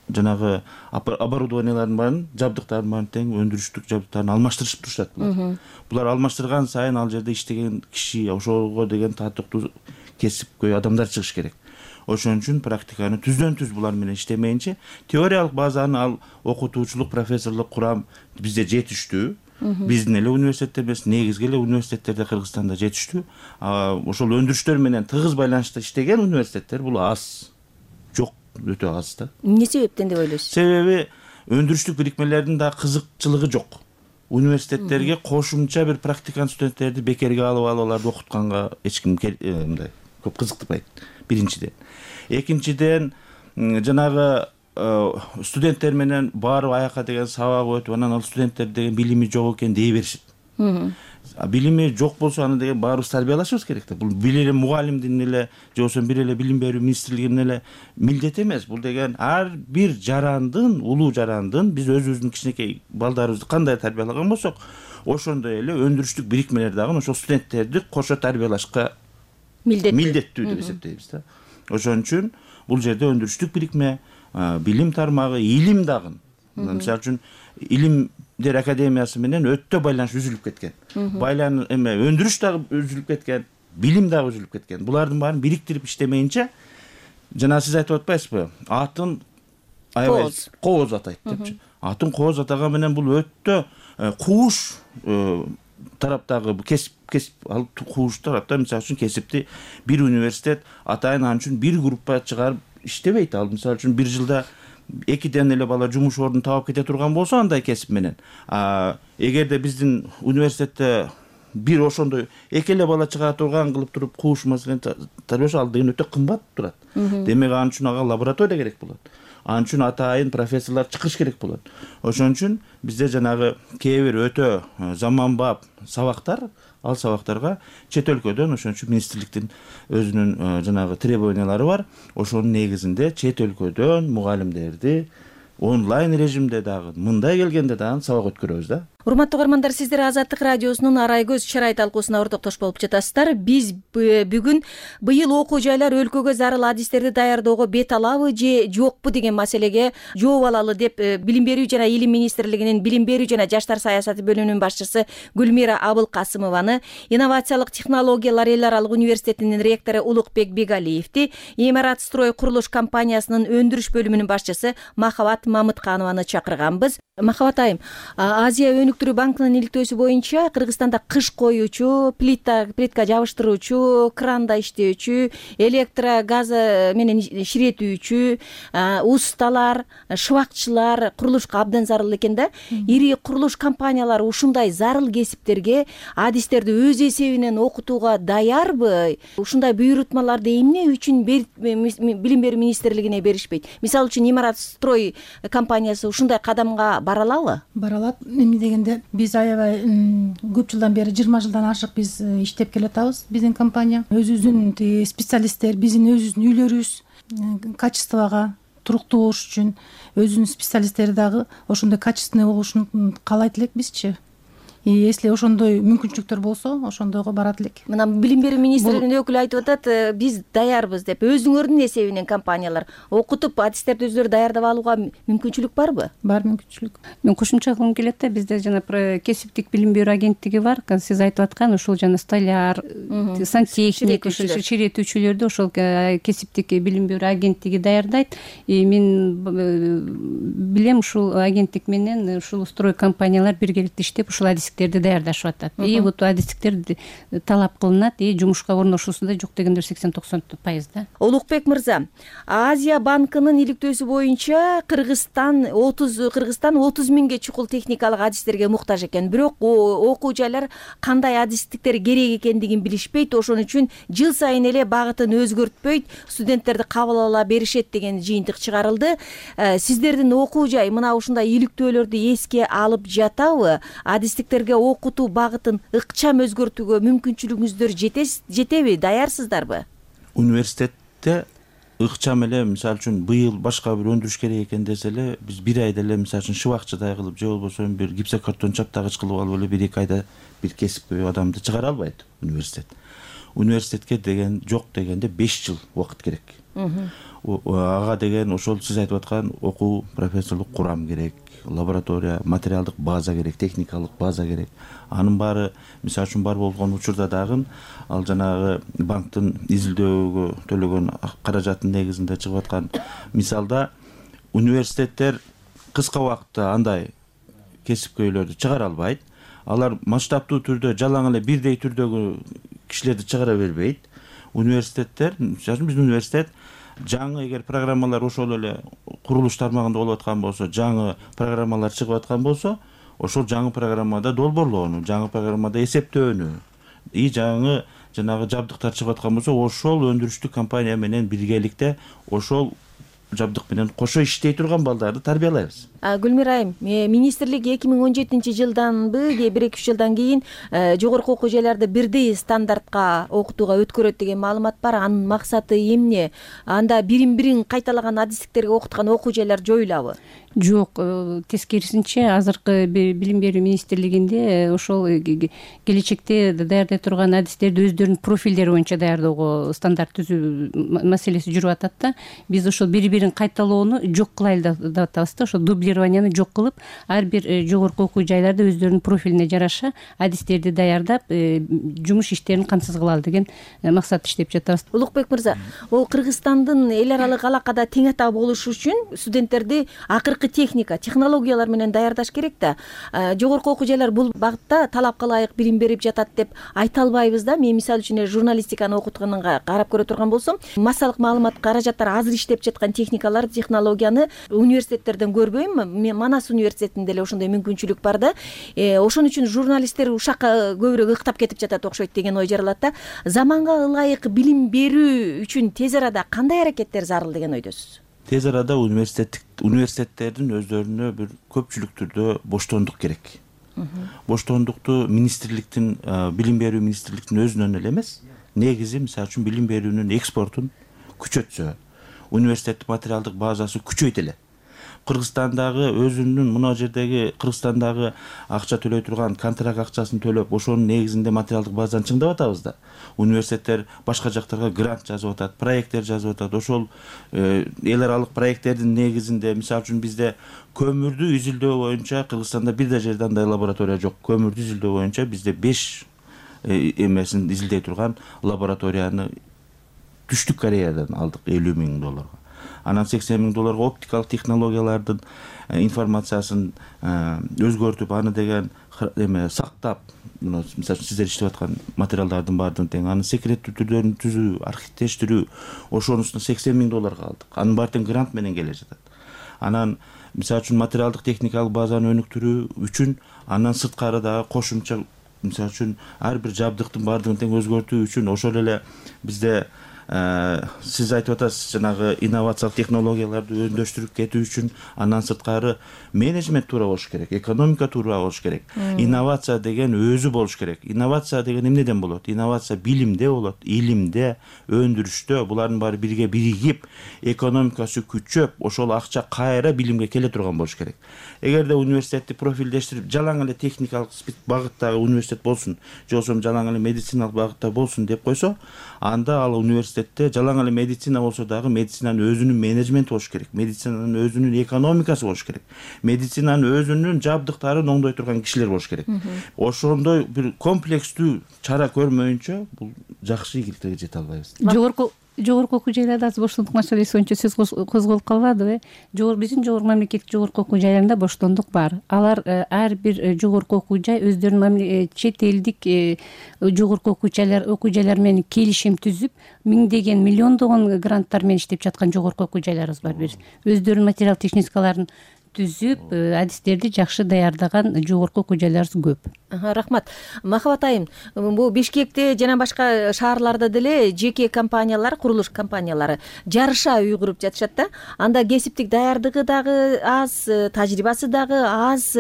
жанагы оборудованияларын баарын жабдыктарын баарын тең өндүрүштүк жабдыктарын алмаштырышып турушат. Булар алмаштырган сайын ал жерде иштеген киши, ошого деген татыктуу кесипкөй адамдар чыгыш керек. Ошон үчүн практиканы түздөн түз булар менен иштемейинче теориялык базаны ал окутуучулук, профессорлук курам бизде жетиштүү. Биздин эле университетте эмес, негизги эле университеттерде Кыргызстанда жетиштүү. Ошол өндүрүштөр менен тыгыз байланышта иштеген университеттер бул аз. Жок, өтө аз да. Эмне себептен деп ойлойсуз? Себеби өндүрүштүк бирикмелердин да кызыкчылыгы жок. Университеттерге кошумча бир практикант студенттерди бекерге алып алып аларды окутканга эч ким мындай көп кызыктырбайт. Биринчиден. Экинчиден, жанагы студенттер менен барып аяка деген сабак өтүп, анан ал студенттер деген билими жок экен дей беришет. Билими жок болсо аны деген баарыбыз тарбиялашыбыз керек да. Бул бир эле мугалимдин эле же болбосо бир эле билим берүү министрлигинин эле милдети эмес. Бул деген ар бир жарандын, улуу жарандын биз өзүбүздүн кичинекей балдарыбызды кандай тарбиялаган болсок, ошондой эле өндүрүштүк бирикмелер дагы ошол студенттерди кошо тарбиялашка милдеттүү деп эсептейбиз да. Ошон үчүн бул жерде өндүрүштүк бирикме, билим тармагы, илим дагы. Мисалы үчүн Илимдер академиясы менен өтө байланыш үзүлүп кеткен. Байланыш эме өндүрүш дагы үзүлүп кеткен, билим дагы үзүлүп кеткен. Булардын баарын бириктирип иштемейинче, жана сиз айтып атпайсызбы? Атын аябай кооз атайт депчи. Атын кооз атаган менен бул өтө кууш тараптагы кесип кесип ал кууш тарапта мисалы үчүн кесипти бир университет атайын ал үчүн бир группа чыгарып иштебейт. Ал мисалы үчүн бир жылда экиден эле бала жумуш ордун таап кете турган болсо андай кесип менен. Эгерде биздин университетте бир ошондой эки эле бала чыга турган кылып туруп кууш маселени тарбиялоо ал деген өтө кымбат турат. Демек ал үчүн ага лаборатория керек болот. Ал үчүн атайын профессорлор чыгыш керек болот. Ошон үчүн бизде жанагы кээ бир өтө заманбап сабактар, ал сабактарга чет өлкөдөн, ошон үчүн министрликтин өзүнүн жанагы требованиялары бар. Ошонун негизинде чет өлкөдөн мугалимдерди онлайн режимде дагы мындай келгенде дагы сабак өткөрөбүз да. Урматтуу угармандар, сиздер Азаттык радиосунун Арай көз чырай талкуусуна ортоктош болуп жатасыздар. Биз бүгүн быйыл окуу жайлар өлкөгө зарыл адистерди даярдоого бет алабы же жокпу деген маселеге жооп алалы деп Билим берүү жана Илим министрлигинин Билим берүү жана жаштар саясаты бөлүмүнүн башчысы Гүлмира Абылкасымованы, инновациялык технологиялар эл аралык университетинин ректору Улукбек Бегалиевди, Имарат строй курулуш компаниясынын өндүрүш бөлүмүнүн башчысы Махабат Мамытканованы чакырганбыз. Махабат айым, Азия өнүктүрүү банкынын иликтөөсү боюнча Кыргызстанда кыш коюучу, плита, плитка жабыштыруучу, кранда иштөөчү, электро газ менен ширетүүчү, усталар, шыбакчылар курулушка абдан зарыл экен да. Ири курулуш компаниялары ушундай зарыл кесиптерге адистерди өз эсебинен окутууга даярбы? Ушундай буйрутмаларды эмне үчүн Билим берүү министрлигине беришпейт? Мисалы үчүн Имарат строй компаниясы ушундай кадамга бара алабы? Бара алат. Эмне дегенде биз аябай көп жылдан бери, жыйырма жылдан ашык биз иштеп келатабыз. Биздин компания өзүбүздүн специалисттер, биздин өзүбүздүн үйлөрүбүз качествого туруктуу болуш үчүн өзүнүн специалисттери дагы ошондой качественный болушун каалайт элекпизчи. И если ошондой мүмкүнчүлүктөр болсо, ошондойго барат элек. Мына Билим берүү министрлигинин өкүлү айтып атат, биз даярбыз деп. Өзүңөрдүн эсебинен компаниялар окутуп, адистерди өздөрү даярдап алууга мүмкүнчүлүк барбы? Бар мүмкүнчүлүк. Мен кошумча кылгым келет да, бизде жана кесиптик билим берүү агенттиги бар. Сиз айтып аткан ушул жана столяр, сантехник, ширетүүчүлөрдү ошол кесиптик билим берүү агенттиги даярдайт. Мен билем, ушул агенттик менен ушул строй компаниялар биргеликте иштеп ушул адис даярдашып атат. И вот адистиктер талап кылынат, и жумушка орношуусунда жок дегендер сексен токсон пайыз да. Улукбек мырза, Азия банкынын иликтөөсү боюнча Кыргызстан отуз Кыргызстан отуз миңге чукул техникалык адистерге муктаж экен. Бирок окуу жайлар кандай адистиктер керек экендигин билишпейт. Ошон үчүн жыл сайын эле багытын өзгөртпөйт, студенттерди кабыл ала беришет деген жыйынтык чыгарылды. Сиздердин окуу жай мына ушундай иликтөөлөрдү эске алып жатабы? Адистиктер окутуу багытын ыкчам өзгөртүүгө мүмкүнчүлүгүңүздөр жетеби, даярсыздарбы? Университетте ыкчам эле мисалы үчүн быйыл башка бир өндүрүш керек экен десе эле биз бир айда эле мисалы үчүн шыбакчыдай кылып же болбосо бир гипсокартон чаптагыч кылып алып эле бир эки айда бир кесипкөй адамды чыгара албайт университет. Университетке деген жок дегенде беш жыл убакыт керек. Ага деген ошол сиз айтып аткан окуу профессорлук курам керек, лаборатория, материалдык база керек, техникалык база керек. Анын баары мисалы үчүн бар болгон учурда дагы ал жанагы банктын изилдөөгө төлөгөн каражаттын негизинде чыгып аткан мисалда университеттер кыска убакытта андай кесипкөйлөрдү чыгара албайт. Алар масштабтуу түрдө жалаң эле бирдей түрдөгү кишилерди чыгара бербейт. Университеттер, мисалы үчүн биздин университет жаңы эгер программалар ошол эле курулуш тармагында болуп аткан болсо, жаңы программалар чыгып аткан болсо, ошол жаңы программада долбоорлоону, жаңы программада эсептөөнү, и жаңы жанагы жабдыктар чыгып аткан болсо, ошол өндүрүштүк компания менен биргеликте ошол жабдык менен кошо иштей турган балдарды тарбиялайбыз. Гүлмира айым, министрлик эки миң он жетинчи жылданбы же бир эки үч жылдан кийин жогорку окуу жайларды бирдей стандартка окутууга өткөрөт деген маалымат бар. Анын максаты эмне? Анда бирин-бирин кайталаган адистиктерге окуткан окуу жайлар жоюлабы? Жок, тескерисинче азыркы билим берүү министрлигинде ошол келечекте даярдай турган адистерди өздөрүнүн профилдери боюнча даярдоого стандарт түзүү маселеси жүрүп атат да. Биз ошол бири-бирин кайталоону жок кылайлы деп атабыз да. Ошо дублированияны жок кылып, ар бир жогорку окуу жайларда өздөрүнүн профилине жараша адистерди даярдап, жумуш иштерин камсыз кылалы деген максат иштеп жатабыз. Улукбек мырза, ол Кыргызстандын эл аралык алакада тең ата болуш үчүн студенттерди акыркы техника, технологиялар менен даярдаш керек да. Жогорку окуу жайлар бул багытта талапка ылайык билим берип жатат деп айта албайбыз да. Мен мисалы үчүн журналистиканы окутканга карап көрө турган болсом, массалык маалымат каражаттар азыр иштеп жаткан техникалар, технологияны университеттерден көрбөйм. Мен Манас университетинде эле ошондой мүмкүнчүлүк бар да. Ошон үчүн журналисттер ушакка көбүрөөк ыктап кетип жатат окшойт деген ой жаралат да. Заманга ылайык билим берүү үчүн тез арада кандай аракеттер зарыл деген ойдосуз? Тез арада университеттик университеттердин өздөрүнө бир көпчүлүк түрдө боштондук керек. Боштондукту министрликтин, билим берүү министрликтин өзүнөн эле эмес, негизи мисалы үчүн билим берүүнүн экспортун күчөтсө, университеттин материалдык базасы күчөйт эле. Кыргызстандагы өзүнүн мына жердеги Кыргызстандагы акча төлөй турган контракт акчасын төлөп, ошонун негизинде материалдык базаны чыңдап атабыз да. Университеттер башка жактарга грант жазып атат, проекттер жазып атат. Ошол эл аралык проекттердин негизинде мисалы үчүн бизде көмүрдү изилдөө боюнча Кыргызстанда бир да жерде андай лаборатория жок. Көмүрдү изилдөө боюнча бизде беш эмесин изилдей турган лабораторияны Түштүк Кореядан алдык элүү миң долларга. Анан сексен миң долларга оптикалык технологиялардын информациясын өзгөртүп, аны деген эме сактап, мисалы сиздер иштеп аткан материалдардын баардыгын тең аны секреттүү түрдөрүн түзүү, архивдештирүү, ошонусуна сексен миң долларга алдык. Анын баары тең грант менен келе жатат. Анан мисалы үчүн материалдык техникалык базаны өнүктүрүү үчүн андан сырткары дагы кошумча мисалы үчүн ар бир жабдыктын баардыгын тең өзгөртүү үчүн ошол эле бизде сиз айтып атасыз жанагы инновациялык технологияларды өндөштүрүп кетүү үчүн андан сырткары менеджмент туура болуш керек, экономика туура болуш керек. Инновация деген өзү болуш керек. Инновация деген эмнеден болот? Инновация билимде болот, илимде, өндүрүштө. Булардын баары бирге биригип, экономикасы күчөп, ошол акча кайра билимге келе турган болуш керек. Эгерде университетти профилдештирип, жалаң эле техникалык багыттагы университет болсун, же болбосо жалаң эле медициналык багытта болсун деп койсо, анда ал университетте жалаң эле медицина болсо дагы медицинанын өзүнүн менеджменти болуш керек, медицинанын өзүнүн экономикасы болуш керек, медицинанын өзүнүн жабдыктарын оңдой турган кишилер болуш керек. Ошондой бир комплекстүү чара көрмөйүнчө бул жакшы ийгиликтерге жете албайбыз. Жогорку жогорку окуу жайларда азыр боштондук маселеси боюнча сөз козголуп калбадыбы? Жогорку биздин жогорку мамлекеттик жогорку окуу жайларында боштондук бар. Алар ар бир жогорку окуу жай өздөрүнүн чет элдик жогорку окуу жайлар окуу жайлар менен келишим түзүп, миңдеген, миллиондогон гранттар менен иштеп жаткан жогорку окуу жайларыбыз бар. Бир өздөрүнүн материал техникаларын түзүп адистерди жакшы даярдаган жогорку окуу жайларыбыз көп. Рахмат. Махабат айым, бул Бишкекте жана башка шаарларда деле жеке компаниялар, курулуш компаниялары жарыша уйгуруп жатышат да. Анда кесиптик даярдыгы дагы аз, тажрыйбасы дагы аз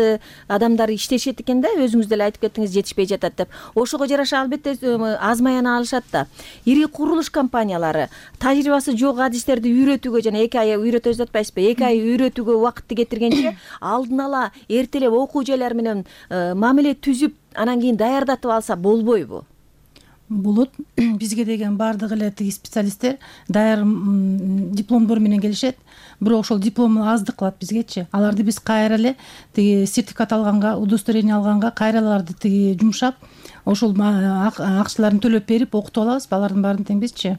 адамдар иштешет экен да, өзүңүз деле айтып кеттиңиз, жетишпей жатат деп. Ошого жараша албетте аз маяна алышат да. Ири курулуш компаниялары тажрыйбасы жок адистерди үйрөтүүгө, жана эки ай үйрөтөбүз деп атпайсызбы, эки ай үйрөтүүгө убакытты кетиргенче алдын ала эртелеп окуу жайлар менен мамиле түзүп, анан кийин даярдатып алса болбойбу? Болот. Бизге деген баардык эле тиги специалисттер даяр дипломдор менен келишет, бирок ошол диплом аздык кылат бизгечи. Аларды биз кайра эле тиги сертификат алганга, удостоверение алганга кайра аларды тиги жумшап, ошол акчаларын төлөп берип окутуп алабыз, алардын баарын тең бизчи.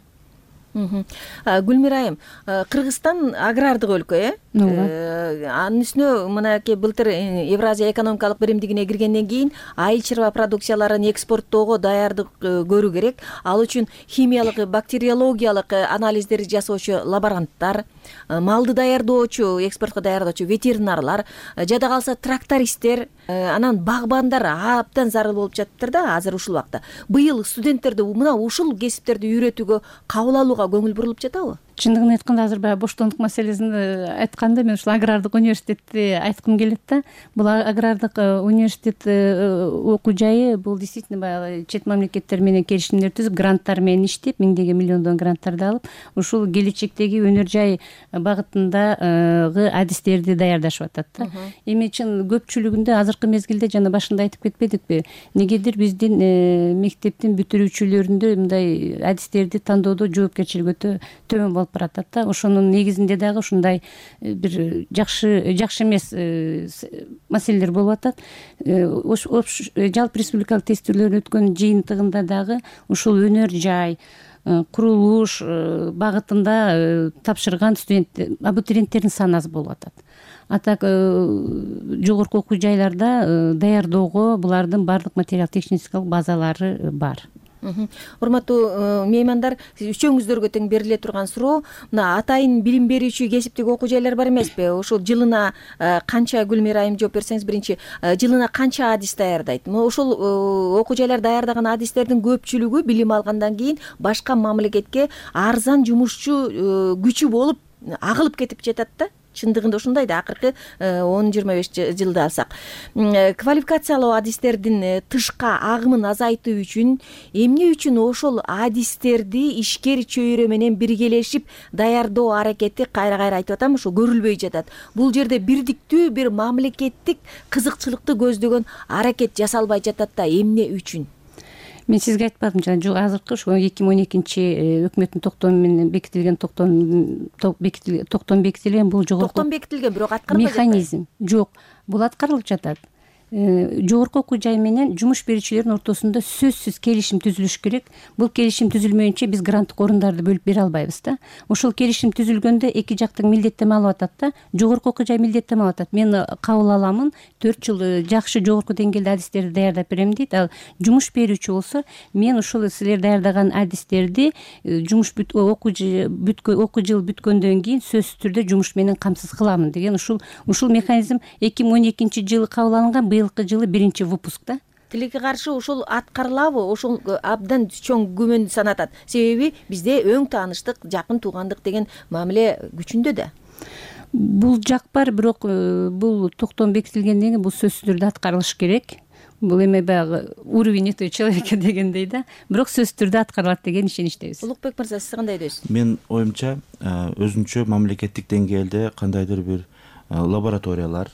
Гүлмира айым, Кыргызстан агрардык өлкө, э? Анын үстүнө мынакей былтыр Евразия экономикалык биримдигине киргенден кийин айыл чарба продукцияларын экспорттоого даярдык көрүү керек. Ал үчүн химиялык, бактериологиялык анализдерди жасоочу лаборанттар, малды даярдоочу, экспортко даярдоочу ветеринарлар, жада калса трактористтер, анан багбандар абдан зарыл болуп жатыптыр да азыр ушул убакта. Быйыл студенттерди мына ушул кесиптерди үйрөтүүгө кабыл алууга көңүл бурулуп жатабы? Чындыгын айтканда азыр баягы боштондук маселесин айтканда мен ушул агрардык университетти айткым келет да. Бул агрардык университет окуу жайы бул действительно баягы чет мамлекеттер менен келишимдер түзүп, гранттар менен иштеп, миңдеген миллиондон гранттарды алып, ушул келечектеги өнөр жай багытындагы адистерди даярдашып атат да. Эми чын көпчүлүгүндө азыркы мезгилде жана башында айтып кетпедикпи, негедир биздин мектептин бүтүрүүчүлөрүндө мындай адистерди тандоодо жоопкерчилиги өтө төмөн болуп баратат да. Ошонун негизинде дагы ушундай бир жакшы жакшы эмес маселелер болуп атат. Жалпы республикалык тестирлөө өткөн жыйынтыгында дагы ушул өнөр жай, курулуш багытында тапшырган студент абитуриенттердин саны аз болуп атат. А так жогорку окуу жайларда даярдоого булардын баардык материал техникалык базалары бар. Урматтуу меймандар, үчөөңүздөргө тең бериле турган суроо, мына атайын билим берүүчү кесиптик окуу жайлар бар эмеспи? Ошол жылына канча, Гүлмира айым жооп берсеңиз, биринчи жылына канча адис даярдайт? Ошол окуу жайлар даярдаган адистердин көпчүлүгү билим алгандан кийин башка мамлекетке арзан жумушчу күчү болуп агылып кетип жатат да. Чындыгында ушундай да, акыркы он жыйырма беш жылда алсак. Квалификациялуу адистердин тышка агымын азайтуу үчүн эмне үчүн ошол адистерди ишкер чөйрө менен биргелешип даярдоо аракети кайра-кайра айтып атам, ошо көрүлбөй жатат. Бул жерде бирдиктүү бир мамлекеттик кызыкчылыкты көздөгөн аракет жасалбай жатат да, эмне үчүн? Мен сизге айтпадым жана жок, азыркы ошо эки миң он экинчи өкмөттүн токтому менен бекитилген токтом токтом бекитилген бул жогорку токтом бекитилген, бирок аткарылбай жатат. Механизм жок. Бул аткарылып жатат. Жогорку окуу жай менен жумуш берүүчүлөрдүн ортосунда сөзсүз келишим түзүлүш керек. Бул келишим түзүлмөйүнчө биз гранттык орундарды бөлүп бере албайбыз да. Ошол келишим түзүлгөндө эки жактын милдеттенме алып атат да. Жогорку окуу жай милдеттенме алып атат. Мен кабыл аламын, төрт жыл жакшы жогорку деңгээлде адистерди даярдап берем дейт. Ал жумуш берүүчү болсо, мен ушул силер даярдаган адистерди жумуш окуу окуу жыл бүткөндөн кийин сөзсүз түрдө жумуш менен камсыз кыламын деген ушул ушул механизм эки миң он экинчи жылы кабыл алынган. Быйылкы жылы биринчи выпускта. Тилекке каршы ушул аткарылабы? Ошол абдан чоң күмөндү санатат. Себеби бизде өң тааныштык, жакын туугандык деген мамиле күчүндө да. Бул жак бар, бирок бул токтом бекитилгенден кийин бул сөзсүз түрдө аткарылыш керек. Бул эме баягы уровень этого человека дегендей да. Бирок сөзсүз түрдө аткарылат деген ишеничтебиз. Улукбек мырза, сиз кандай дейсиз? Мен оюмча өзүнчө мамлекеттик деңгээлде кандайдыр бир лабораториялар,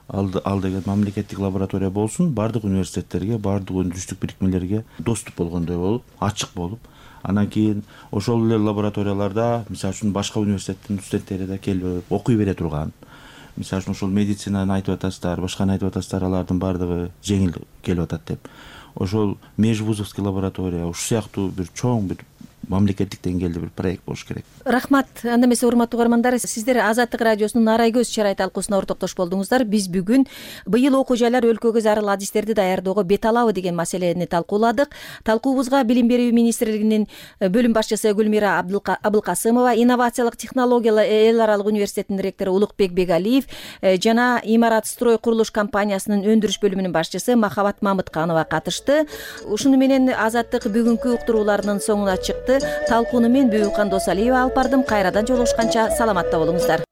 ал деген мамлекеттик лаборатория болсун, баардык университеттерге, баардык өндүрүштүк бирикмелерге доступ болгондой болуп, ачык болуп, анан кийин ошол эле лабораторияларда, мисалы үчүн башка университеттин студенттери да келип окуй бере турган. Мисалы үчүн ошол медицинаны айтып атасыздар, башканы айтып атасыздар, алардын баардыгы жеңил келип атат деп. Ошол межвузовский лаборатория, ушул сыяктуу бир чоң бир мамлекеттик деңгээлде бир проект болуш керек. Рахмат. Анда эмесе урматтуу угармандар, сиздер Азаттык радиосунун Арай көз чарай талкуусуна ортоктош болдуңуздар. Биз бүгүн быйыл окуу жайлар өлкөгө зарыл адистерди даярдоого бет алабы деген маселени талкууладык. Талкуубузга Билим берүү министрлигинин бөлүм башчысы Гүлмира Абылкасымова, инновациялык технологиялар эл аралык университетинин ректору Улукбек Бегалиев жана Имарат строй курулуш компаниясынын өндүрүш бөлүмүнүн башчысы Махабат Мамытканова катышты. Ушуну менен Азаттык бүгүнкү уктурууларынын соңуна чыкты. Талкууну мен Бүйүкхан Досалиева алып бардым. Кайрадан жолугушканча саламатта болуңуздар.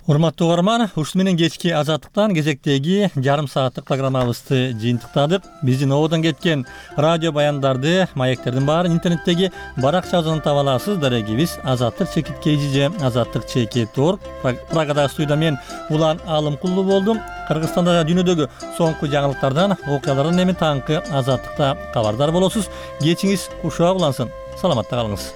Урматтуу угарман, ушуну менен кечки Азаттыктан кезектеги жарым сааттык программабызды жыйынтыктадык. Биздин ободон кеткен радио баяндарды, маектердин баарын интернеттеги баракчабыздан таба аласыз. Дарегибиз азаттык чекит kgj азаттык чекит орг. Прагада студияда мен Улан Алымкулуу болдум. Кыргызстанда дүйнөдөгү соңку жаңылыктардан, окуялардан эми таңкы Азаттыкта кабардар болосуз. Кечиңиз кушак улансын. Саламатта калыңыз.